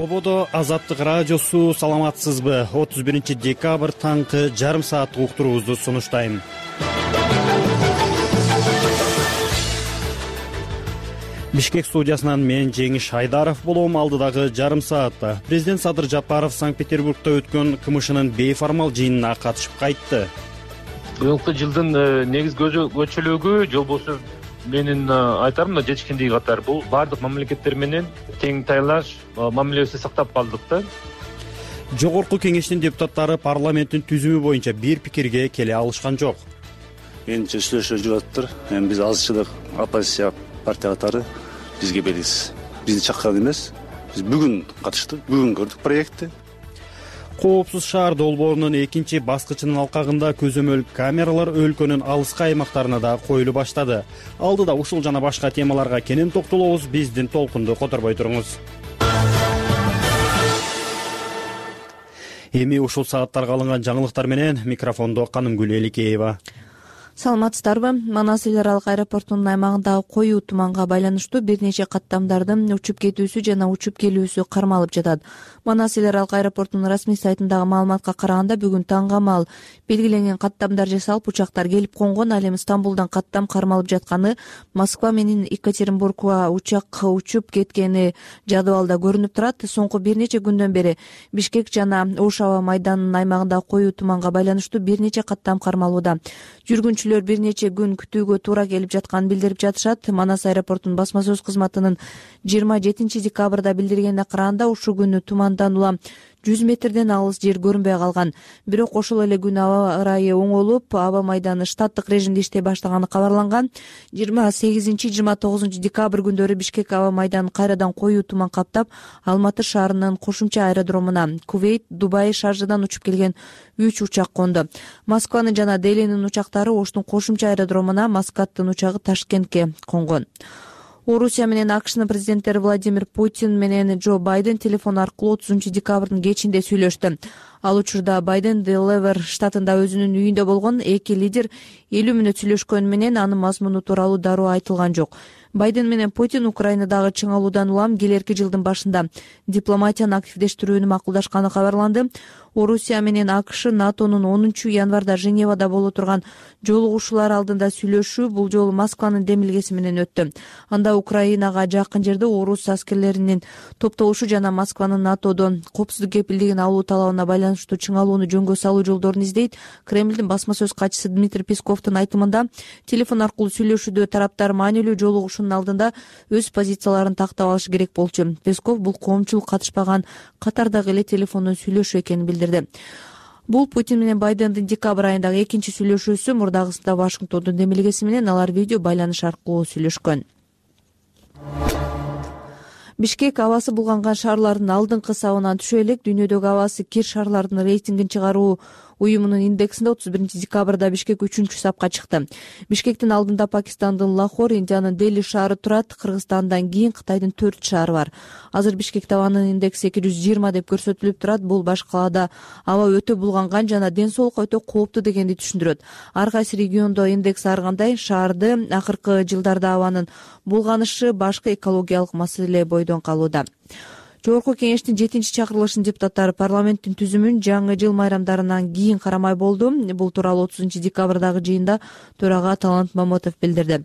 ободо Азаттык радиосу. Саламатсызбы? отуз биринчи декабрь таңкы жарым сааттык уктуруубузду сунуштайм. Бишкек студиясынан мен Жеңиш Айдаров болом. Алдыдагы жарым саатта президент Садыр Жапаров Санкт-Петербургда өткөн КМШнын бейформал жыйынына катышып кайтты. Быйылкы жылдын негизги көчөлөгү жолбосу менин айтарым да жетишкендиги катары бул баардык мамлекеттер менен тең тайлаш мамилебизди сактап калдык да. Жогорку кеңештин депутаттары парламенттин түзүмү боюнча бир пикирге келе алышкан жок. Менимче сүйлөшүү жүрүп атыптыр. Эми биз азчылык оппозиция партия катары бизге белгисиз. Бизди чакырган эмес. Биз бүгүн катыштык, бүгүн көрдүк проектти. Коопсуз шаар долбоорунун экинчи баскычынын алкагында көзөмөл камералар өлкөнүн алыскы аймактарына да коюла баштады. Алдыда ушул жана башка темаларга кенен токтолобуз. Биздин толкунду которбой туруңуз. Эми ушул сааттарга алынган жаңылыктар менен микрофондо Канымгүл Эликеева. Саламатсыздарбы? Манас эл аралык аэропортунун аймагындагы коюу туманга байланыштуу бир нече каттамдардын учуп кетүүсү жана учуп келүүсү кармалып жатат. Манас эл аралык аэропортунун расмий сайтындагы маалыматка караганда бүгүн таңга маал белгиленген каттамдар жасалып, учактар келип конгон. Ал эми Стамбулдан каттам кармалып жатканы, Москва менен Екатеринбургга учак учуп кеткени жадыбалда көрүнүп турат. Соңку бир нече күндөн бери Бишкек жана Ош аба майданынын аймагында коюу туманга байланыштуу бир нече каттам кармалууда. Жүргүнчүлөр бир нече күн күтүүгө туура келип жатканын билдирип жатышат. Манас аэропортунун басма сөз кызматынын жыйырма жетинчи декабрда билдиргенине караганда, ушул күнү тумандан улам жүз метрден алыс жер көрүнбөй калган. Бирок ошол эле күнү аба ырайы оңолуп, аба майданы штаттык режимде иштей баштаганы кабарланган. жыйырма сегизинчи жыйырма тогузунчу декабрь күндөрү Бишкек аба майданын кайрадан коюу туман каптап, Алматы шаарынын кошумча аэродромуна Кувейт, Дубай, Шаржадан учуп келген үч учак конду. Москванын жана Делинин учактары Оштун кошумча аэродромуна, Маскаттын учагы Ташкентке конгон. Орусия менен АКШнын президенттери Владимир Путин менен Джо Байден телефон аркылуу отузунчу декабрдын кечинде сүйлөштү. Ал учурда Байден Делавер штатында өзүнүн үйүндө болгон. Эки лидер элүү мүнөт сүйлөшкөнү менен анын мазмуну тууралуу дароо айтылган жок. Байден менен Путин Украинадагы чыңалуудан улам келерки жылдын башында дипломатияны активдештирүүнү макулдашканы кабарланды. Орусия менен АКШ НАТОнун онунчу январда Женевада боло турган жолугушуулар алдында сүйлөшүү бул жолу Москванын демилгеси менен өттү. Анда Украинага жакын жерде орус аскерлеринин топтолушу жана Москванын НАТОдон коопсуздук кепилдигин алуу талабына байланыштуу чыңалууну жөнгө салуу жолдорун издейт. Кремлдин басма сөз катчысы Дмитрий Песковдун айтымында, телефон аркылуу сүйлөшүүдө тараптар маанилүү жолугушуунун алдында өз позицияларын тактап алышы керек болчу. Песков бул коомчулук катышпаган катардагы эле телефондон сүйлөшүү экенин билдирди. Бул Путин менен Байдендин декабрь айындагы экинчи сүйлөшүүсү. Мурдагысында Вашингтондун демилгеси менен алар видео байланыш аркылуу сүйлөшкөн. Бишкек абасы булганган шаарлардын алдыңкы сабынан түшө элек. Дүйнөдөгү абасы кир шаарлардын рейтингин чыгаруу уюмунун индексинде отуз биринчи декабрда Бишкек үчүнчү сапка чыкты. Бишкектин алдында Пакистандын Лахор, Индиянын Дели шаары турат. Кыргызстандан кийин Кытайдын төрт шаары бар. Азыр Бишкекте абанын индекси эки жүз жыйырма деп көрсөтүлүп турат. Бул башка калаада аба өтө булганган жана ден соолукка өтө кооптуу дегенди түшүндүрөт. Ар кайсы региондо индекс ар кандай. Шаарды акыркы жылдарда абанын булганышы башкы экологиялык маселе бойдон калууда. Жогорку кеңештин жетинчи чакырылышынын депутаттары парламенттин түзүмүн жаңы жыл майрамдарынан кийин карамай болду. Бул тууралуу отузунчу декабрдагы жыйында төрага Талант Мамытов билдирди.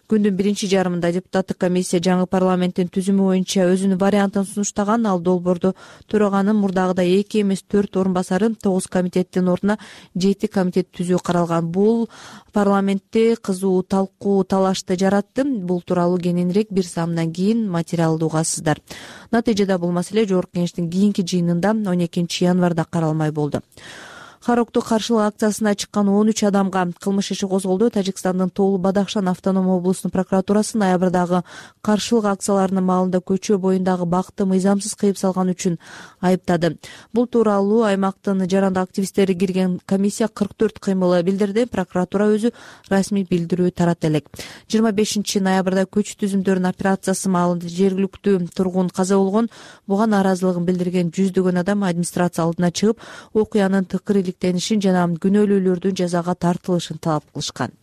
Күндүн биринчи жарымында депутаттык комиссия жаңы парламенттин түзүмү боюнча өзүнүн вариантын сунуштаган. Ал долбоорду төраганын мурдагыдай эки эмес төрт орун басары, тогуз комитеттин ордуна жети комитет түзүү каралган. Бул парламентте кызуу талкуу талашты жаратты. Бул тууралуу кененирээк бир саамдан кийин материалды угасыздар. Натыйжада бул маселе жогорку кеңештин кийинки жыйынында он экинчи январда каралмай болду. Харокту каршылык акциясына чыккан он үч адамга кылмыш иши козголду. Тажикстандын Тоолу Бадахшан автоном облусунун прокуратурасы ноябрдагы каршылык акцияларынын маалында көчө боюндагы бакты мыйзамсыз кыйып салган үчүн айыптады. Бул тууралуу аймактын жарандык активисттери кирген комиссия кырк төрт кыймыл билдирди. Прокуратура өзү расмий билдирүү таратты элек. жыйырма бешинчи ноябрда көч түзүмдөрүнүн операциясы маалында жергиликтүү тургун каза болгон. Буга нааразылыгын билдирген жүздөгөн адам администрация алдына чыгып, окуянын тыкыр жана күнөөлүүлөрдүн жазага тартылышын талап кылышкан.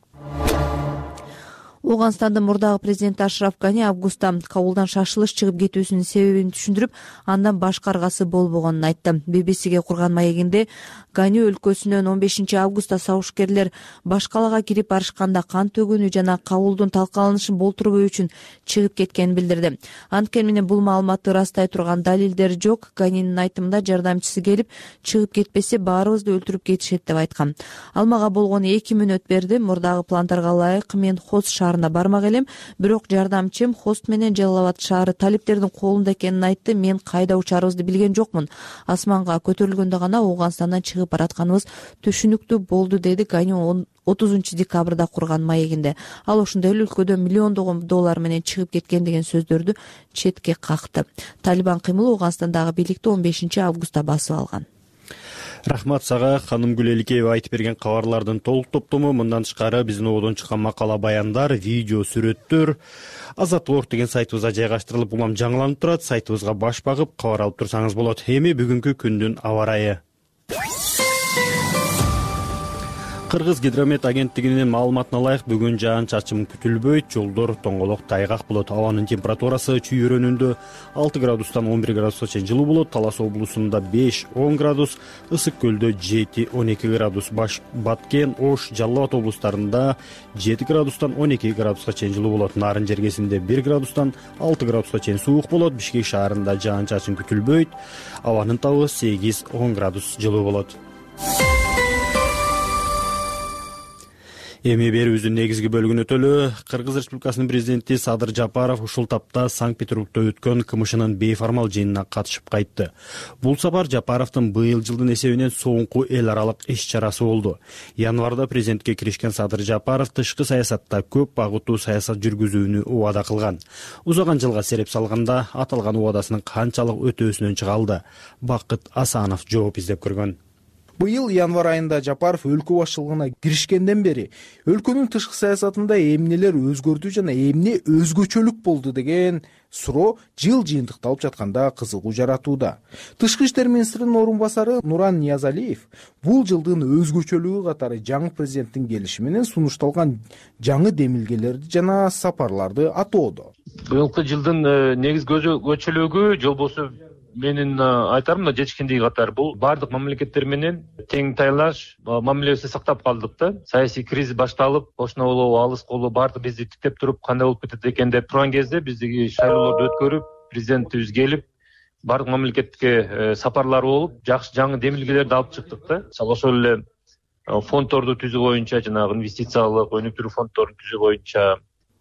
Ооганстандын мурдагы президенти Ашраф Гани августта Кабулдан шашылыш чыгып кетүүсүнүн себебин түшүндүрүп, андан башка аргасы болбогонун айтты. би би сиге курган маегинде Гани өлкөсүнөн он бешинчи августта сабышкерлер баш калаага кирип барышканда кан төгүүнү жана Кабулдун талкаланышын болтурбоо үчүн чыгып кеткенин билдирди. Анткени менен бул маалыматты ырастай турган далилдер жок. Ганинин айтымында жардамчысы келип чыгып кетпесе баарыбызды өлтүрүп кетишет деп айткан. Ал мага болгону эки мүнөт берди. Мурдагы пландарга ылайык мен Хост шаарына бармак элем, бирок жардамчым Хост менен Жалалабад шаары талиптердин колунда экенин айтты. Мен кайда учарыбызды билген жокмун. Асманга көтөрүлгөндө гана Ооганстандан чыгып баратканыбыз түшүнүктүү болду, деди Гани отузунчу декабрда курган маегинде. Ал ошондой эле өлкөдө миллиондогон доллар менен чыгып кеткен деген сөздөрдү четке какты. Талибан кыймылы Ооганстандагы бийликти он бешинчи августта басып алган. Рахмат сага, ханым Гүлеликеева айтып берген кабарлардын толук топтому. Мындан тышкары биздин ободон чыккан макала, баяндар, видео, сүрөттөр Азаттык орг деген сайтыбызга жайгаштырылып, улам жаңыланып турат. Сайтыбызга баш багып кабар алып турсаңыз болот. Эми бүгүнкү күндүн аба ырайы. Кыргыз гидромет агенттигинин маалыматына ылайык бүгүн жаан-чачын күтүлбөйт, жолдор тоңголок тайгак болот. Абанын температурасы чүй районунда алты градустан он бир градуска чейин жылуу болот. Талас облусунда беш он градус, Ысык көлдө жети он эки градус, Баш Баткен, Ош, Жалал Абад облустарында жети градустан он эки градуска чейин жылуу болот. Нарын жергесинде бир градустан алты градуска чейин суук болот. Бишкек шаарында жаан-чачын күтүлбөйт. Абанын табы сегиз он градус жылуу болот. Эми берүүбүздүн негизги бөлүгүнө өтөлү. Кыргыз Республикасынын президенти Садыр Жапаров ушул тапта Санкт-Петербургда өткөн КМШнын бейформал жыйынына катышып кайтты. Бул сапар Жапаровдун быйыл жылдын эсебинен соңку эл аралык иш-чарасы болду. Январда президентке киришкен Садыр Жапаров тышкы саясатта көп багыттуу саясат жүргүзүүнү убада кылган. Узаган жылга сереп салганда аталган убадасынын канчалык өтөөсүнөн чыга алды? Бакыт Асанов жооп издеп көргөн. Быйыл январ айында Жапаров өлкө башчылыгына киришкенден бери өлкөнүн тышкы саясатында эмнелер өзгөрдү жана эмне өзгөчөлүк болду деген суроо жыл жыйынтыкталып жатканда кызыгуу жаратууда. Тышкы иштер министринин орун басары Нуран Ниязалиев бул жылдын өзгөчөлүгү катары жаңы президенттин келиши менен сунушталган жаңы демилгелерди жана сапарларды атоодо. Быйылкы жылдын негизги өзгөчөлүгү жолбосу менин айтарым мына жетишкендиги катары бул баардык мамлекеттер менен тең тайлаш мамилебизди сактап калдык да. Саясий кризис башталып, кошуна болобу, алыс болобу баардык бизди тиктеп туруп кандай болуп кетет экен деп турган кезде биздиги шайлоолорду өткөрүп, президентибиз келип, баардык мамлекетке сапарлар болуп, жакшы жаңы демилгелерди алып чыктык да. Мисалы ошол эле фонддорду түзүү боюнча, жанагы инвестициялык өнүктүрүү фонддорун түзүү боюнча.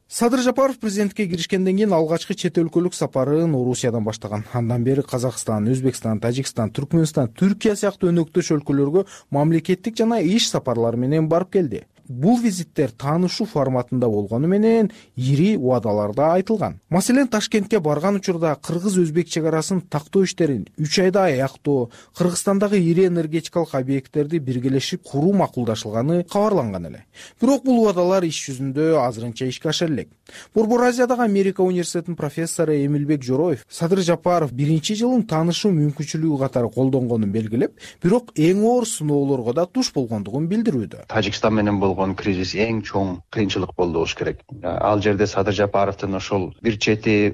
Садыр Жапаров президентке киришкенден кийин алгачкы чет өлкөлүк сапарын Орусиядан баштаган. Андан бери Казакстан, Өзбекстан, Тажикстан, Түркмөнстан, Түркия сыяктуу өнөктөш өлкөлөргө мамлекеттик жана иш сапарлары менен барып келди. Бул визиттер таанышуу форматында болгону менен ири убадаларда айтылган. Маселен, Ташкентке барган учурда кыргыз-өзбек чек арасын тактоо иштерин үч айда аяктоо, Кыргызстандагы ири энергетикалык объекттерди биргелешип куруу макулдашылганы кабарланган эле. Бирок бул убадалар иш жүзүндө азырынча ишке аша элек. Борбор Азиядагы Америка университетинин профессору Эмилбек Жороев Садыр Жапаров биринчи жылын таанышуу мүмкүнчүлүгү катары колдонгонун белгилеп, бирок эң оор сыноолорго да туш болгондугун билдирүүдө. Тажикстан менен болгон кризис эң чоң кыйынчылык болду болуш керек. Ал жерде Садыр Жапаровдун ошол бир чети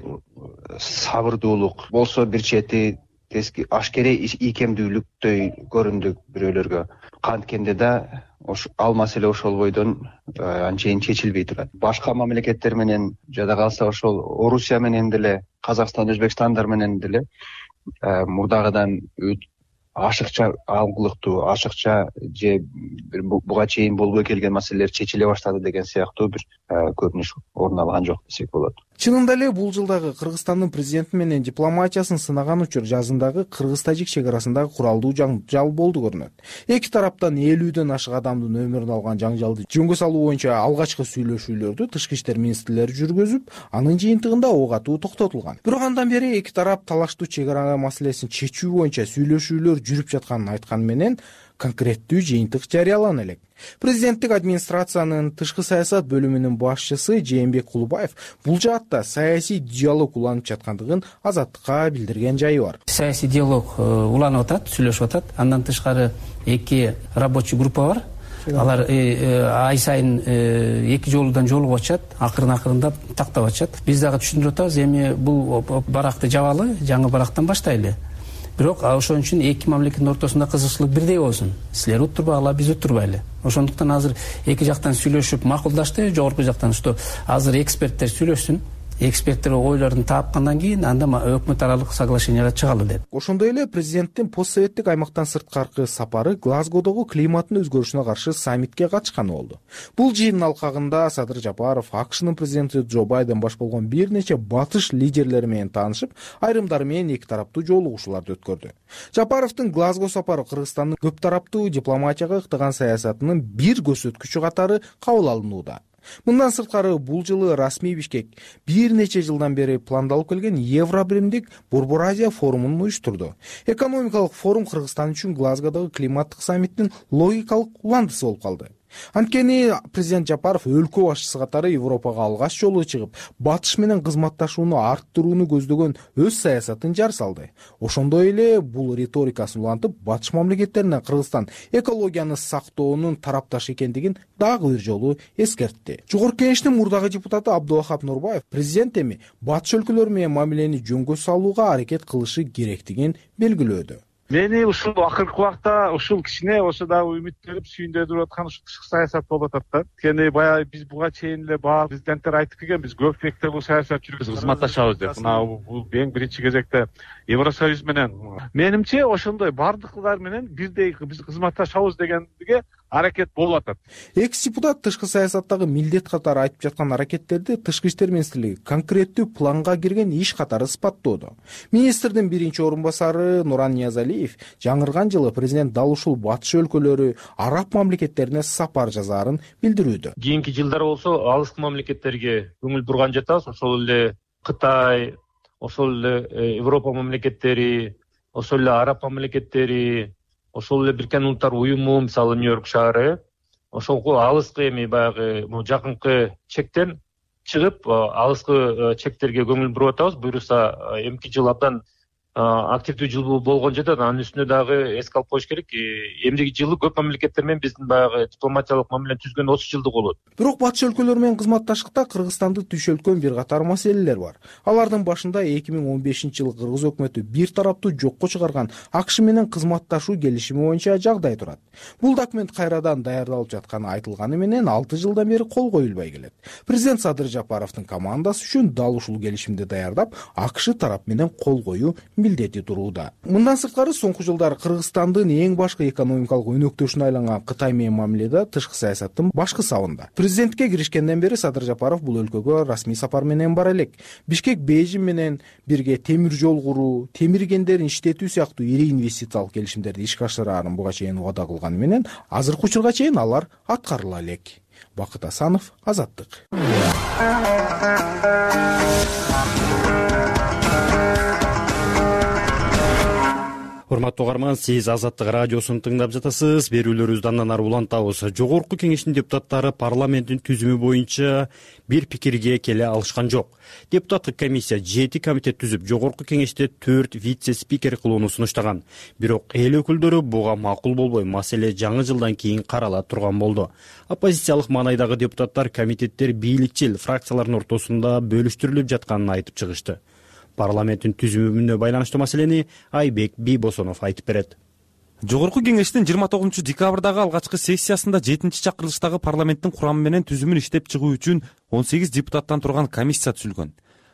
сабырдуулук болсо, бир чети тески ашкере ийкемдүүлүктөй көрүндү бирөөлөргө. Канткенде да ал маселе ошол бойдон анчейин чечилбей турат. Башка мамлекеттер менен жада калса ошол Орусия менен деле, Казакстан, Өзбекстандар менен деле мурдагыдан ашыкча алгылыктуу, ашыкча же буга чейин болбой келген маселелер чечиле баштады деген сыяктуу бир көрүнүш орун алган жок десек болот. Чынында эле бул жылдагы Кыргызстандын президенти менен дипломатиясын сынаган учур жазындагы кыргыз-тажик чек арасындагы куралдуу жаңжал болду көрүнөт. Эки тараптан элүүдөн ашык адамдын өмүрүн алган жаңжалды жөнгө салуу боюнча алгачкы сүйлөшүүлөрдү тышкы иштер министрлери жүргүзүп, анын жыйынтыгында ок атуу токтотулган. Бирок андан бери эки тарап талаштуу чек ара маселесин чечүү боюнча сүйлөшүүлөр жүрүп жатканын айткан менен конкреттүү жыйынтык жарыялана элек. Президенттик администрациянын тышкы саясат бөлүмүнүн башчысы Жээнбек Кулубаев бул жаатта саясий диалог уланып жаткандыгын Азаттыкка билдирген жайы бар. Саясий диалог уланып атат, сүйлөшүп атат. Андан тышкары эки рабочий группа бар. алар ай сайын эки жолудан жолугуп атышат, акырын акырындап тактап атышат. Биз дагы түшүндүрүп атабыз, эми бул баракты жабалы, жаңы барактан баштайлы. Бирок ошон үчүн эки мамлекеттин ортосунда кызыкчылык бирдей болсун. Силер уттурбагыла, биз уттурбайлы. Ошондуктан азыр эки жактан сүйлөшүп макулдашты, жогорку жактан что азыр эксперттер сүйлөшсүн. Эксперттер ойлорун таапкандан кийин анда өкмөт аралык соглашенияга чыгалы деп. Ошондой эле президенттин постсоветтик аймактан сырткаркы сапары Глазгодогу климаттын өзгөрүшүнө каршы саммитке катышканы болду. Бул жыйындын алкагында Садыр Жапаров АКШнын президенти Джо Байден баш болгон бир нече батыш лидерлери менен таанышып, айрымдары менен эки тараптуу жолугушууларды өткөрдү. Жапаровдун Глазго сапары Кыргызстандын көп тараптуу дипломатияга ыктаган саясатынын бир көрсөткүчү катары кабыл алынууда. Мындан сырткары бул жылы расмий Бишкек бир нече жылдан бери пландалып келген Евробиримдик Борбор Азия форумун уюштурду. Экономикалык форум Кыргызстан үчүн Глазгодогу климаттык саммиттин логикалык уландысы болуп калды. Анткени президент Жапаров өлкө башчысы катары Европага алгач жолу чыгып, батыш менен кызматташууну арттырууну көздөгөн өз саясатын жар салды. Ошондой эле бул риторикасын улантып, батыш мамлекеттерине Кыргызстан экологияны сактоонун тарапташы экендигин дагы бир жолу эскертти. Жогорку кеңештин мурдагы депутаты Абдулахап Нурбаев президент эми батыш өлкөлөр менен мамилени жөнгө салууга аракет кылышы керектигин белгилөөдө. Мени ушул акыркы убакта ушул кичине болсо дагы үмүт берип сүйүндүрүп аткан ушул тышкы саясат болуп атат да. Анткени баягы биз буга чейин эле баары президенттер айтып келген, биз көп мекте бул саясат жүргүзүп кызматташабыз деп. Мына бул эң биринчи кезекте Евросоюз менен. Менимче ошондой бардыклар менен бирдей биз кызматташабыз дегенге аракет болуп атат. Экс-депутат тышкы саясаттагы милдет катары айтып жаткан аракеттерди Тышкы иштер министрлиги конкреттүү планга кирген иш катары сыпаттоодо. Министрдин биринчи орун басары Нуран Ниязалиев жаңырган жылы президент дал ушул батыш өлкөлөрү, араб мамлекеттерине сапар жазаарын билдирүүдө. Кийинки жылдары болсо алыскы мамлекеттерге көңүл бурган жатабыз. Ошол эле Кытай, ошол эле Европа мамлекеттери, ошол эле араб мамлекеттери, ошол эле Бириккен Улуттар уюму, мисалы Нью-Йорк шаары, ошол алыскы эми баягы жакынкы чектен чыгып, алыскы чектерге көңүл буруп атабыз. Буюрса эмки жыл абдан активдүү жыл болгон жатат. Анын үстүнө дагы эске алып коюш керек. Эмдиги жылы көп мамлекеттер менен биздин баягы дипломатиялык мамилени түзгөн отуз жылдык болот. Бирок батыш өлкөлөр менен кызматташтыкта Кыргызстанды түйшөлткөн бир катар маселелер бар. Алардын башында эки миң он бешинчи жылы Кыргыз өкмөтү бир тараптуу жокко чыгарган АКШ менен кызматташуу келишими боюнча жагдай турат. Бул документ кайрадан даярдалып жатканы айтылганы менен алты жылдан бери кол коюлбай келет. Президент Садыр Жапаровдун командасы үчүн дал ушул келишимди даярдап, АКШ тарап менен кол коюу милдети турууда. Мындан сырткары соңку жылдары Кыргызстандын эң башкы экономикалык өнөктөшүнө айланган Кытай менен мамиледе тышкы саясаттын башкы сабында. Президентке киришкенден бери Садыр Жапаров бул өлкөгө расмий сапар менен бара элек. Бишкек Бейжин менен бирге темир жол куруу, темир кендерин иштетүү сыяктуу ири инвестициялык келишимдерди ишке ашыраарын буга чейин убада кылганы менен азыркы учурга чейин алар аткарыла элек. Бакыт Асанов, Азаттык. Урматтуу угарман, сиз Азаттык радиосун тыңдап жатасыз. Берүүлөрүбүздү андан ары улантабыз. Жогорку кеңештин депутаттары парламенттин түзүмү боюнча бир пикирге келе алышкан жок. Депутаттык комиссия жети комитет түзүп, жогорку кеңеште төрт вице-спикер кылууну сунуштаган. Бирок эл өкүлдөрү буга макул болбой, маселе жаңы жылдан кийин карала турган болду. Оппозициялык маанайдагы депутаттар комитеттер бийликчил фракциялардын ортосунда бөлүштүрүлүп жатканын айтып чыгышты. Парламенттин түзүмүнө байланыштуу маселени Айбек Бийбосонов айтып берет. Жогорку кеңештин жыйырма тогузунчу декабрдагы алгачкы сессиясында жетинчи чакырылыштагы парламенттин курамы менен түзүмүн иштеп чыгуу үчүн он сегиз депутаттан турган комиссия түзүлгөн.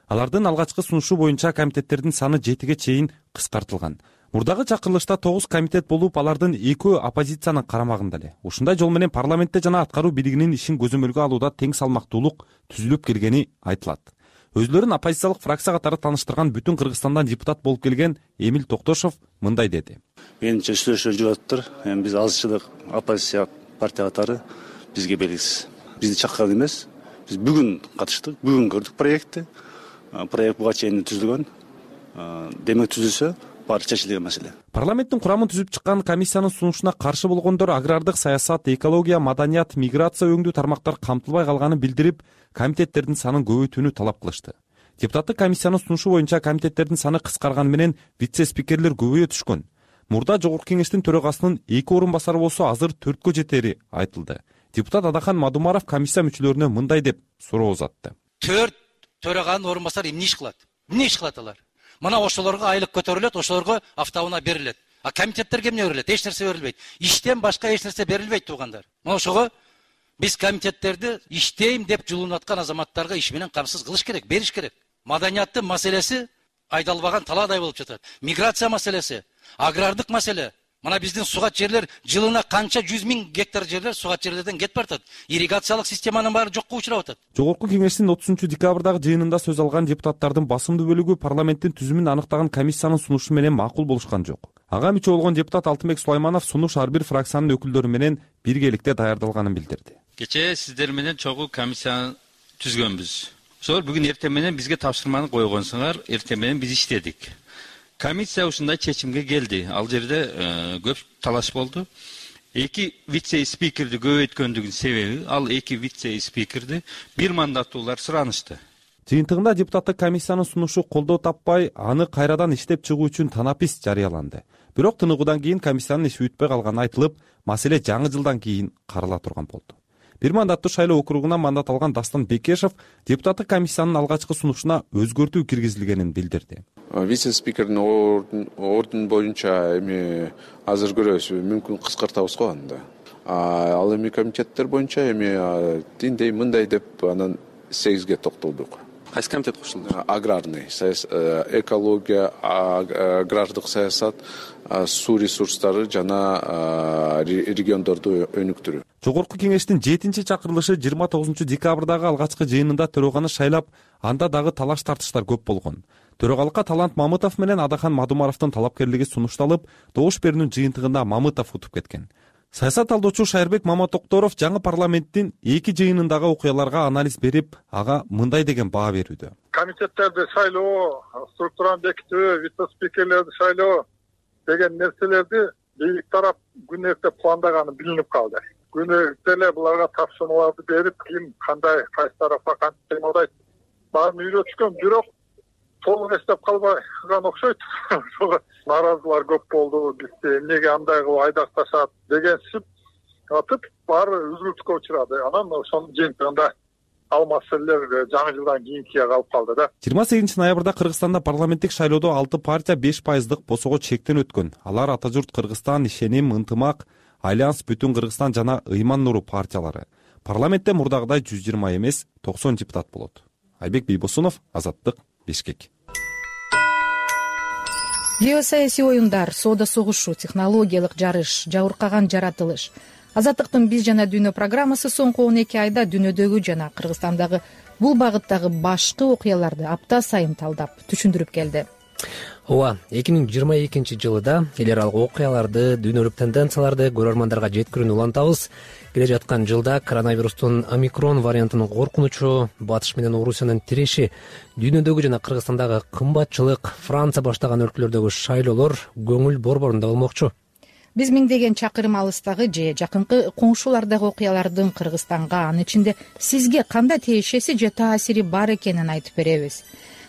Алардын алгачкы сунушу боюнча комитеттердин саны жетиге чейин кыскартылган. Мурдагы чакырылышта тогуз комитет болуп, алардын экөө оппозициянын карамагында эле. Ушундай жол менен парламентте жана аткаруу бийлигинин ишин көзөмөлгө алууда тең салмактуулук түзүлүп келгени айтылат. Өзлөрүн оппозициялык фракция катары тааныштырган бүтүн Кыргызстандан депутат болуп келген Эмил Токтошов мындай деди. Менимче сүйлөшүү жүрүп атыптыр. Эми биз азчылык оппозиция партия катары бизге белгисиз. Бизди чакырган эмес. Биз бүгүн катыштык, бүгүн көрдүк проектти. Проект буга чейин түзүлгөн. Демек түзүлсө баары чечилген маселе. Парламенттин курамын түзүп чыккан комиссиянын сунушуна каршы болгондор агрардык саясат, экология, маданият, миграция өңдүү тармактар камтылбай калганын билдирип, комитеттердин санын көбөйтүүнү талап кылышты. Депутаттык комиссиянын сунушу боюнча комитеттердин саны кыскарганы менен вице-спикерлер көбөйө түшкөн. мурда жогорку кеңештин төрагасынын эки орун басары болсо азыр төрткө жетери айтылды. Депутат Адахан Мадумаров комиссия мүчөлөрүнө мындай деп суроо узатты. Төрт төраганын орун басары эмне иш кылат? Эмне иш кылат алар? Мына ошолорго айлык көтөрүлөт, ошолорго автоунаа берилет. А комитеттерге эмне берилет? Эч нерсе берилбейт. Иштен башка эч нерсе берилбейт, туугандар. Мына ошого биз комитеттерди иштейм деп жулунуп аткан азаматтарга иш менен камсыз кылыш керек, бериш керек. Маданияттын маселеси айдалбаган талаадай болуп жатат. Миграция маселеси, агрардык маселе. Мына биздин сугат жерлер жылына канча жүз миң гектар жерлер сугат жерлерден кетип баратат. Ирригациялык системанын баары жокко учурап атат. Жогорку кеңештин отузунчу декабрдагы жыйынында сөз алган депутаттардын басымдуу бөлүгү парламенттин түзүмүн аныктаган комиссиянын сунушу менен макул болушкан жок. Ага мүчө болгон депутат Алтынбек Сулайманов сунуш ар бир фракциянын өкүлдөрү менен биргеликте даярдалганын билдирди. Кечээ сиздер менен чогуу комиссияны түзгөнбүз. Ошол бүгүн эртең менен бизге тапшырманы койгонсуңар, эртең менен биз иштедик. Комиссия ушундай чечимге келди. Ал жерде көп талаш болду. Эки вице-спикерди көбөйткөндүгүнүн себеби ал эки вице-спикерди бир мандаттуулар суранышты. Жыйынтыгында депутаттык комиссиянын сунушу колдоо таппай, аны кайрадан иштеп чыгуу үчүн танапис жарыяланды. Бирок тыныгуудан кийин комиссиянын иши бүтпөй калганы айтылып, маселе жаңы жылдан кийин карала турган болду. Бир мандаттуу шайлоо округунан мандат алган Дастан Бекешев депутаттык комиссиянын алгачкы сунушуна өзгөртүү киргизилгенин билдирди. Вице-спикердин ордун боюнча эми азыр көрөбүз, мүмкүн кыскартабыз го анда. Ал эми комитеттер боюнча эми тиндей мындай деп анан сегизге токтолдук. Кайсы комитет кошулду? Аграрный, экология, агрардык саясат, суу ресурстары жана региондорду өнүктүрүү. Жогорку кеңештин жетинчи чакырылышы жыйырма тогузунчу декабрдагы алгачкы жыйынында төрөганы шайлап, анда дагы талаш тартыштар көп болгон. Төрагалыкка Талант Мамытов менен Адахан Мадумаровдун талапкерлиги сунушталып, добуш берүүнүн жыйынтыгында Мамытов утуп кеткен. Саясат талдоочу Шайырбек Маматокторов жаңы парламенттин эки жыйынындагы окуяларга анализ берип, ага мындай деген баа берүүдө. Комитеттерди шайлоо, структураны бекитүү, вице-спикерлерди шайлоо деген нерселерди бийлик тарап күн эрте пландаганы билинип калды. Күн эрте эле буларга тапшырмаларды берип, ким кандай кайсы тарапка кантип кыймылдайт баарын үйрөтүшкөн, бирок толук эстеп калбаган окшойт. Нааразылар көп болду, бизди эмнеге андай кылып айдакташат дегенсип атып, баары үзгүлтүккө учурады. Анан ошонун жыйынтыгында ал маселелер жаңы жылдан кийинкиге калып калды да. жыйырма сегизинчи ноябрда Кыргызстанда парламенттик шайлоодо алты партия беш пайыздык босого чектен өткөн. Алар Ата журт Кыргызстан, Ишеним, Ынтымак, Альянс, Бүтүн Кыргызстан жана Ыйман Нуру партиялары. Парламентте мурдагыдай жүз жыйырма эмес, токсон депутат болот. Айбек Бийбосунов, Азаттык, Бишкек. Геосаясий оюндар, соода согушу, технологиялык жарыш, жабыркаган жаратылыш. Азаттыктын биз жана дүйнө программасы соңку он эки айда дүйнөдөгү жана Кыргызстандагы бул багыттагы башкы окуяларды апта сайын талдап, түшүндүрүп келди. Ооба, эки миң жыйырма экинчи жылда эл аралык окуяларды, дүйнөлүк тенденцияларды көрөрмандарга жеткирүүнү улантабыз. Келе жаткан жылда коронавирустун омикрон вариантынын коркунучу, Батыш менен Орусиянын тиреши, дүйнөдөгү жана Кыргызстандагы кымбатчылык, Франция баштаган өлкөлөрдөгү шайлоолор көңүл борборунда болмокчу. Биз миңдеген чакырым алыстагы же жакынкы коңшулардагы окуялардын Кыргызстанга, анын ичинде сизге кандай тиешеси же таасири бар экенин айтып беребиз.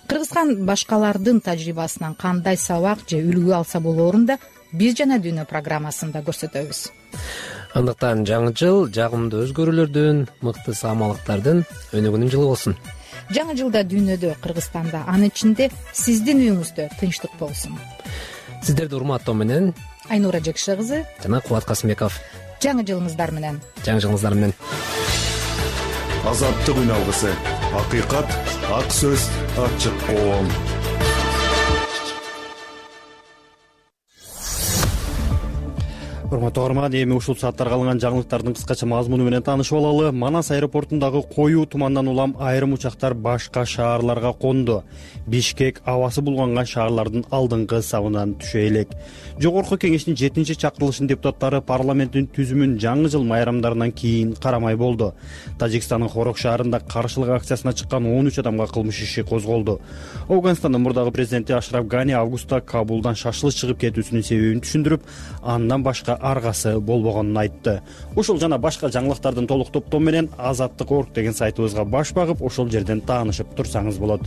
Кыргызстан башкалардын тажрыйбасынан кандай сабак же үлгү алса болоорун да биз жана дүйнө программасында көрсөтөбүз. Андыктан жаңы жыл жагымдуу өзгөрүүлөрдүн, мыкты саамалыктардын өнүгүүнүн жылы болсун. Жаңы жылда дүйнөдө, Кыргызстанда, анын ичинде сиздин үйүңүздө тынчтык болсун. Сиздерди урматтоо менен Айнура Жекше кызы жана Кубат Касымбеков. Жаңы жылыңыздар менен. Жаңы жылыңыздар менен. Азаттык үн алгысы. Акыйкат, ак сөз, ачык коом. Урматтуу көрөрман, эми ушул сааттарга алынган жаңылыктардын кыскача мазмуну менен таанышып алалы. Манас аэропортундагы коюу тумандан улам айрым учактар башка шаарларга конду. Бишкек абасы булганган шаарлардын алдыңкы сабынан түшө элек. Жогорку кеңештин жетинчи чакырылышынын депутаттары парламенттин түзүмүн жаңы жыл майрамдарынан кийин карамай болду. Тажикстандын Хорок шаарында каршылык акциясына чыккан он үч адамга кылмыш иши козголду. Афганстандын мурдагы президенти Ашраф Гани августта Кабулдан шашылып чыгып кетүүсүнүн себебин түшүндүрүп, андан башка аргасы болбогонун айтты. Ушул жана башка жаңылыктардын толук топтоо менен азаттык точка орг деген сайтыбызга баш багып, ошол жерден таанышып турсаңыз болот.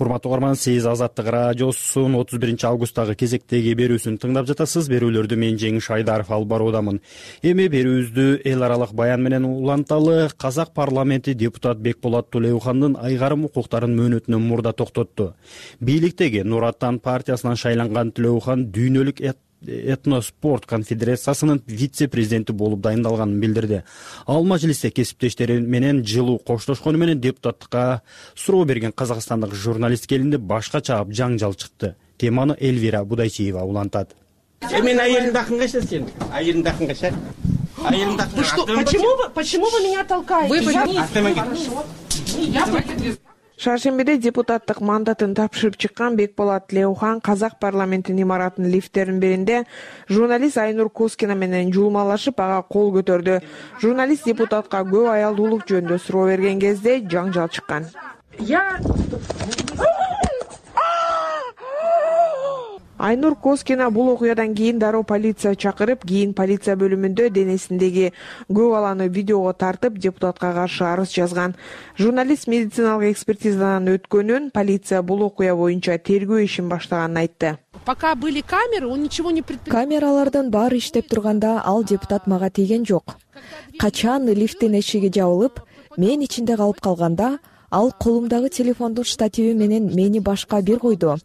урматтуу угарман, сиз Азаттык радиосунун отуз биринчи августтагы кезектеги берүүсүн тыңдап жатасыз. Берүүлөрдү мен Жеңиш Айдаров алып баруудамын. Эми берүүбүздү эл аралык баян менен уланталы. Казак парламенти депутат Бекболот Тулеухандын айгарым укуктарын мөөнөтүнөн мурда токтотту. Бийликтеги Нур Аттан партиясынан шайланган Тулеухан дүйнөлүк этноспорт конфедерациясынын вице-президенти болуп дайындалганын билдирди. Ал мажлисте кесиптештери менен жылуу коштошкону менен депутаттыкка суроо берген казакстандык журналист келинди башка чаап жаңжал чыкты. Теманы Элвира Будайчиева улантат. Мен айылымды акынгаша сен. Айылымды акынгаша. Айылымды акынгаша. Почему вы, почему вы меня толкаете? Шаршембиде депутаттык мандатын тапшырып чыккан Бекболот Тулеухан казак парламентинин имаратынын лифттеринин биринде журналист Айнур Коскина менен жуулмалашып ага кол көтөрдү. Журналист депутатка көп аялдуулук жөнүндө суроо берген кезде жаңжал чыккан. Я Айнур Коскина бул окуядан кийин дароо полиция чакырып, кийин полиция бөлүмүндө денесиндеги көп баланы видеого тартып, депутатка каршы арыз жазган. Журналист медициналык экспертизадан өткөнүн, полиция бул окуя боюнча тергөө ишин баштаганын айтты. Пока были камеры, он ничего не предпринял. Камералардын баары иштеп турганда ал депутат мага тийген жок. Качан лифттин эшиги жабылып, мен ичинде калып калганда, ал колумдагы телефондун штативи менен мени башка бир койду.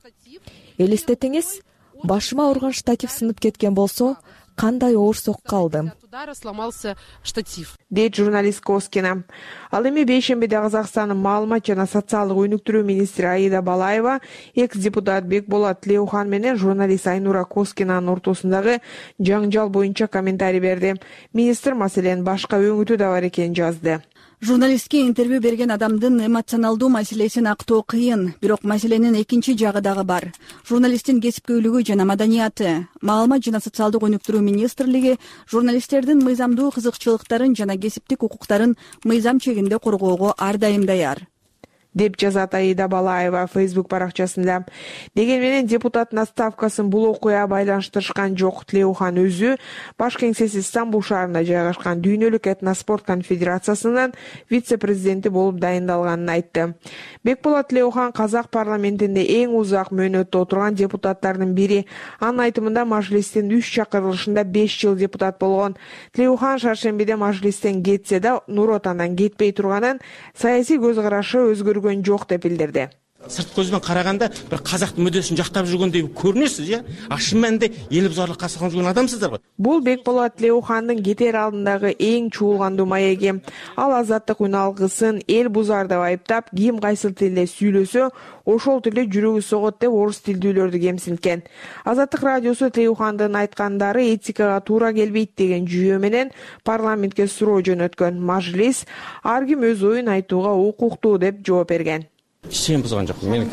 Элестетиңиз, башыма ауырган штатив сынып кеткен болсо, кандай оор сокка алдым. Сломался штатив. Дейт журналист Коскина. Ал эми бейшембиде Казакстандын маалымат жана социалдык өнүктүрүү министри Аида Балаева экс-депутат Бекболот Тулеухан менен журналист Айнура Коскинанын ортосундагы жаңжал боюнча комментарий берди. Министр маселенин башка өңүтү да бар экенин жазды. Журналистке интервью берген адамдын эмоционалдуу маселесин актоо кыйын, бирок маселенин экинчи жагы дагы бар. Журналисттин кесипкөйлүгү жана маданияты. Маалымат жана социалдык өнүктүрүү министрлиги журналисттердин мыйзамдуу кызыкчылыктарын жана кесиптик укуктарын мыйзам чегинде коргоого ар дайым даяр, деп жазат Аида Балаева Facebook баракчасында. Деген менен депутаттын отставкасын бул окуя байланыштырышкан жок. Тулеухан өзү баш кеңсеси Стамбул шаарында жайгашкан дүйнөлүк этноспорт конфедерациясынын вице-президенти болуп дайындалганын айтты. Бекболот Тулеухан казак парламентинде эң узак мөөнөттө отурган депутаттардын бири. Анын айтымында мажлистин үч чакырылышында беш жыл депутат болгон. Тулеухан шаршембиде мажлистен кетсе да Нур Отандан кетпей турганын, саясий көз карашы өзгөргөн жок деп билдирди. Сырт көзбен караганда бир казактын мүддөсүн жактап жүргөндөй көрүнөсүз, э? А шын мәнинде эл бузарлыкка салган жүргөн адамсыздар го. Бул Бекболот Тулеухандын кетер алдындагы эң чуулгандуу маеги. Ал азаттык үн алгысын эл бузар деп айыптап, ким кайсыл тилде сүйлөсө, ошол тилде жүрөгү согот деп орус тилдүүлөрдү кемсинткен. Азаттык радиосу Тулеухандын айткандары этикага туура келбейт деген жүйө менен парламентке суроо жөнөткөн. Мажлис ар ким өз оюн айтууга укуктуу деп жооп берген. Иштеген бузган жок. Мен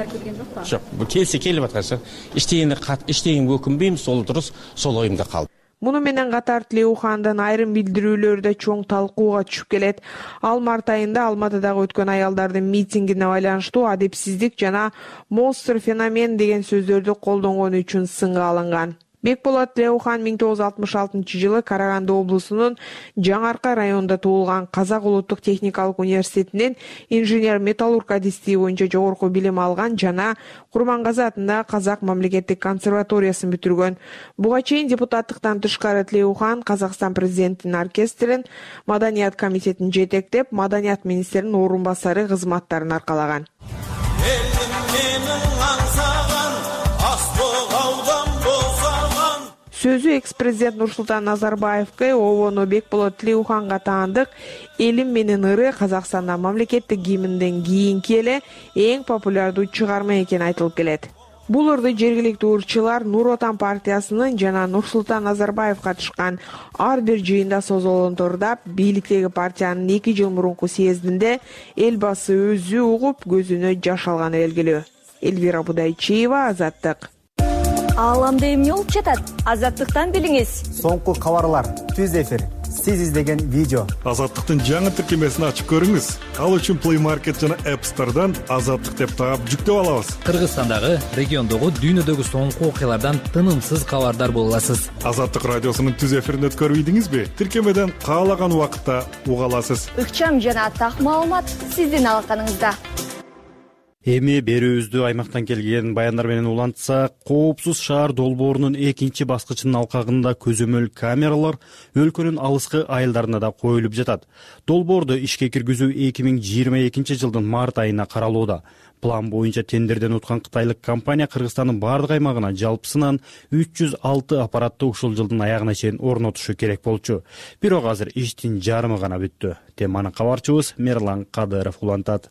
жок. Бул келсе келип атканса, иштегенде иштегенге өкүнбөйм, сол дурус, сол оюмда калды. Муну менен катар Тулеухандын айрым билдирүүлөрү да чоң талкууга түшүп келет. Ал март айында Алматыдагы өткөн аялдардын митингине байланыштуу адепсиздик жана монстр феномен деген сөздөрдү колдонгону үчүн сынга алынган. Бекболот Тулеухан миң тогуз жүз алтымыш алтынчы жылы Караганды облусунун Жаңарка районунда туулган. Казак улуттук техникалык университетинин инженер-металлург адистиги боюнча жогорку билим алган жана Курмангазы атындагы Казак мамлекеттик консерваториясын бүтүргөн. Буга чейин депутаттыктан тышкары Тулеухан Казакстан президентинин оркестрин, Маданият комитетин жетектеп, Маданият министринин орун басары кызматтарын аркалаган. Сөзү экс-президент Нурсултан Назарбаевке обону Бекболот Тулеуханга таандык «Элим менен ыры» Казакстанда мамлекеттик гимнден кийинки эле эң популярдуу чыгарма экени айтылып келет. Бул ырды жергиликтүү ырчылар Нур Отан партиясынын жана Нурсултан Назарбаев катышкан ар бир жыйында созолонтордап, бийликтеги партиянын эки жыл мурунку съездинде элбасы өзү угуп, көзүнө жаш алганы белгилүү. Элвира Будайчиева, Азаттык. Ааламда эмне болуп жатат? Азаттыктан билиңиз. Соңку кабарлар, түз эфир, сиз издеген видео. Азаттыктын жаңы тиркемесин ачып көрүңүз. Ал үчүн Play Market жана App Store'дан Азаттык деп таап жүктөп алабыз. Кыргызстандагы, региондогу, дүйнөдөгү соңку окуялардан тынымсыз кабардар боло аласыз. Азаттык радиосунун түз эфирин өткөрүп ийдиңизби? Тиркемеден каалаган убакытта уга аласыз. Ыкчам жана так маалымат сиздин алаканыңызда. Эми берүүбүздү аймактан келген баяндар менен улантсак, коопсуз шаар долбоорунун экинчи баскычынын алкагында көзөмөл камералар өлкөнүн алыскы айылдарына да коюлуп жатат. Долбоорду ишке киргизүү эки миң жыйырма экинчи жылдын март айына каралууда. План боюнча тендерден уткан кытайлык компания Кыргызстандын бардык аймагына жалпысынан үч жүз алты аппаратты ушул жылдын аягына чейин орнотушу керек болчу. Бирок азыр иштин жарымы гана бүттү. Теманы кабарчыбыз Мерлан Кадыров улантат.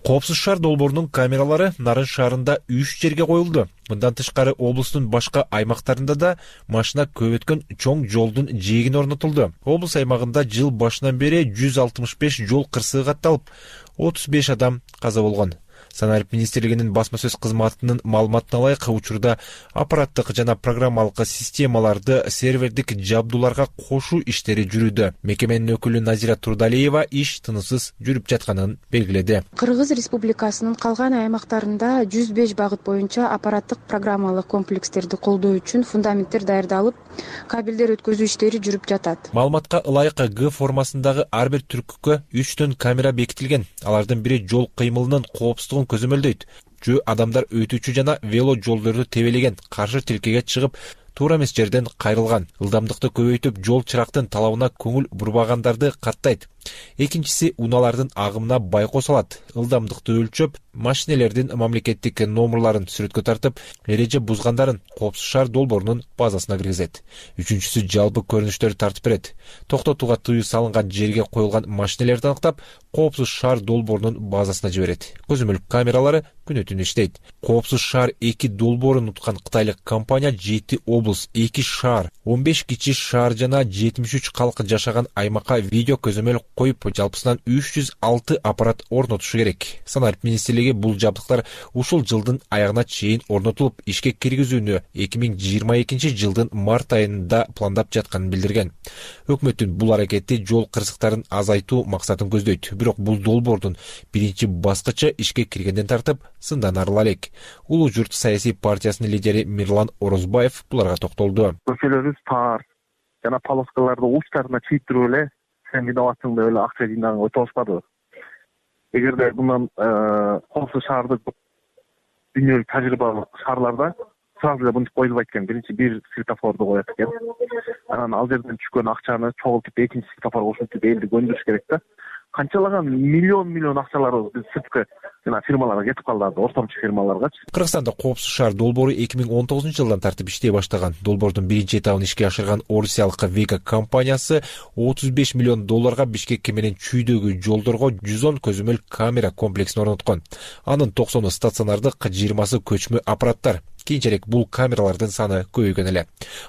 Коопсуз шаар долбоорунун камералары Нарын шаарында үч жерге коюлду. Мындан тышкары облустун башка аймактарында да машина көп өткөн чоң жолдун жээгине орнотулду. Облус аймагында жыл башынан бери жүз алтымыш беш жол кырсыгы катталып, отуз беш адам каза болгон. Санарип министрлигинин басма сөз кызматынын маалыматына ылайык, учурда аппараттык жана программалык системаларды сервердик жабдууларга кошуу иштери жүрүүдө. Мекеменин өкүлү Назира Турдалиева иш тынысыз жүрүп жатканын белгиледи. Кыргыз Республикасынын калган аймактарында жүз беш багыт боюнча аппараттык программалык комплекстерди колдоо үчүн фундаменттер даярдалып, кабелдер өткөзүү иштери жүрүп жатат. Маалыматка ылайык Г формасындагы ар бир түркүккө үчтөн камера бекитилген. Алардын бири жол кыймылынын коопсуздугун көзөмөлдөйт. Жөө адамдар өтүүчү жана вело жолдорду тебелеген, каршы тилкеге чыгып, туура эмес жерден кайрылган. Ылдамдыкты көбөйтүп, жол чырактын талабына көңүл бурбагандарды каттайт. Экинчиси унаалардын агымына байкоо салат. Ылдамдыкты өлчөп, машинелердин мамлекеттик номерларын сүрөткө тартып, эреже бузгандарын коопсуз шаар долбоорунун базасына киргизет. Үчүнчүсү жалпы көрүнүштөрдү тартып берет. Токтотууга тыюу салынган жерге коюлган машинелерди аныктап, коопсуз шаар долбоорунун базасына жиберет. Көзөмөл камералары күнү түнү иштейт. Коопсуз шаар эки долбоорун уткан кытайлык компания жети облус, эки шаар, он беш кичи шаар жана жетимиш үч калк жашаган аймакка видео көзөмөл коюп, жалпысынан үч жүз алты аппарат орнотушу керек. Санарип министрлиги бул жабдыктар ушул жылдын аягына чейин орнотулуп, ишке киргизүүнү эки миң жыйырма экинчи жылдын март айында пландап жатканын билдирген. Өкмөттүн бул аракети жол кырсыктарын азайтуу максатын көздөйт. Бирок бул долбоордун биринчи баскычы ишке киргенден тартып сындан арыла элек. Улуу журт саясий партиясынын лидери Мирлан Орозбаев буларга токтолду. Көчөлөрүбүз тар жана полоскаларды учтарына чийиптирип эле сен виноватсың деп эле акча жыйнаганга өтө алышпады. Эгерде мындан коопсуз шаарды дүйнөлүк тажрыйбалык шаарларда сразу эле мынтип коюлбайт экен. Биринчи бир светофорду коет экен. Анан ал жерден түшкөн акчаны чогултуп экинчи светофорго кошуп элди көндүрүш керек да. Канчалаган миллион миллион акчаларыбыз биз сырткы жана фирмаларга кетип калды, ортомчу фирмаларгачы. Кыргызстанда коопсуз шаар долбоору эки миң он тогузунчу жылдан тартып иштей баштаган. Долбоордун биринчи этабын ишке ашырган орусиялык Века компаниясы отуз беш миллион долларга Бишкек менен Чүйдөгү жолдорго жүз он көзөмөл камера комплексин орноткон. Анын токсону стационардык, жыйырмасы көчмө аппараттар. Кийинчерээк бул камералардын саны көбөйгөн эле.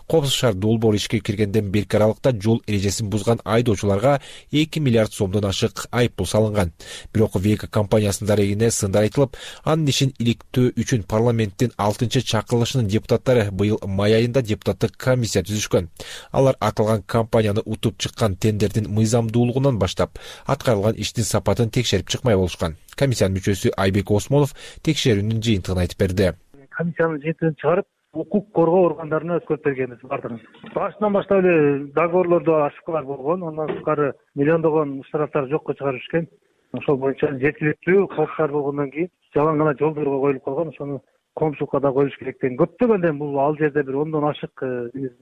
Коопсуз шаар долбоору ишке киргенден берки аралыкта жол эрежесин бузган айдоочуларга эки миллиард сомдон ашык айыппул салынган. Бирок Века компаниясынын дарегине сындар айтылып, анын ишин иликтөө үчүн парламенттин алтынчы чакырылышынын депутаттары быйыл май айында депутаттык комиссия түзүшкөн. Алар аталган компанияны утуп чыккан тендердин мыйзамдуулугунан баштап, аткарылган иштин сапатын текшерип чыкмай болушкан. Комиссиянын мүчөсү Айбек Осмонов текшерүүнүн жыйынтыгын айтып берди. Комиссиянын жыйынтыгын чыгарып, укук коргоо органдарына өткөрүп бергенбиз бардыгын. Башынан баштап эле договорлордо ошибкалар болгон, андан тышкары миллиондогон штрафтар жокко чыгарып ишкен. Ошол боюнча жеткиликтүү коопсуз болгондон кийин жалаң гана жолдорго коюлуп калган, ошону коомчулукка да коюш керек деген. Көптөгөндөн бул ал жерде бир ондон ашык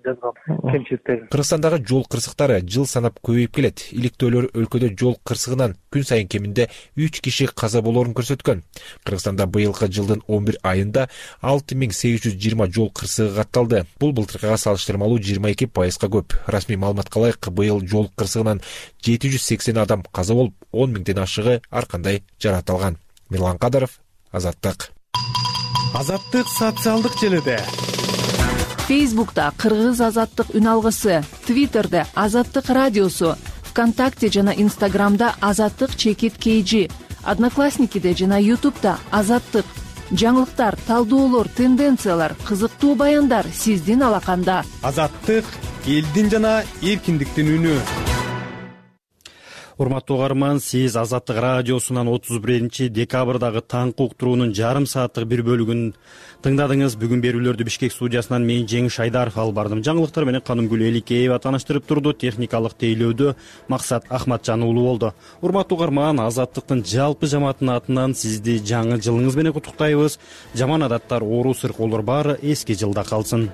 жазган кемчиликтер. Кыргызстандагы жол кырсыктары жыл санап көбөйүп келет. Иликтөөлөр өлкөдө жол кырсыгынан күн сайын кеминде үч киши каза болоорун көрсөткөн. Кыргызстанда быйылкы жылдын он бир айында алты миң сегиз жүз жыйырма жол кырсыгы катталды. Бул былтыркыга салыштырмалуу жыйырма эки пайызга көп. Расмий маалыматка ылайык, быйыл жол кырсыгынан жети жүз сексен адам каза болуп, он миңден ашыгы ар кандай жаракат алган. Мирлан Кадыров, Азаттык. Азаттык социалдык желиде. Фейсбукта Кыргыз Азаттык үн алгысы, Твиттерде Азаттык радиосу, ВКонтакте жана Инстаграмда Азаттык чекит кейжи, Одноклассникиде жана Ютубта Азаттык. Жаңылыктар, талдоолор, тенденциялар, кызыктуу баяндар сиздин алаканда. Азаттык элдин жана эркиндиктин үнү. урматтуу угарман, сиз Азаттык радиосунан отуз биринчи декабрдагы таңкы уктуруунун жарым сааттык бир бөлүгүн тыңдадыңыз. Бүгүн берүүлөрдү Бишкек студиясынан мен Жеңиш Айдаров алып бардым. Жаңылыктар менен Канымгүл Эликеева тааныштырып турду. Техникалык тейлөөдө Максат Ахматжан уулу болду. Урматтуу угарман, Азаттыктын жалпы жамаатынын атынан сизди жаңы жылыңыз менен куттуктайбыз. Жаман адаттар, оору сыркоолор баары эски жылда калсын.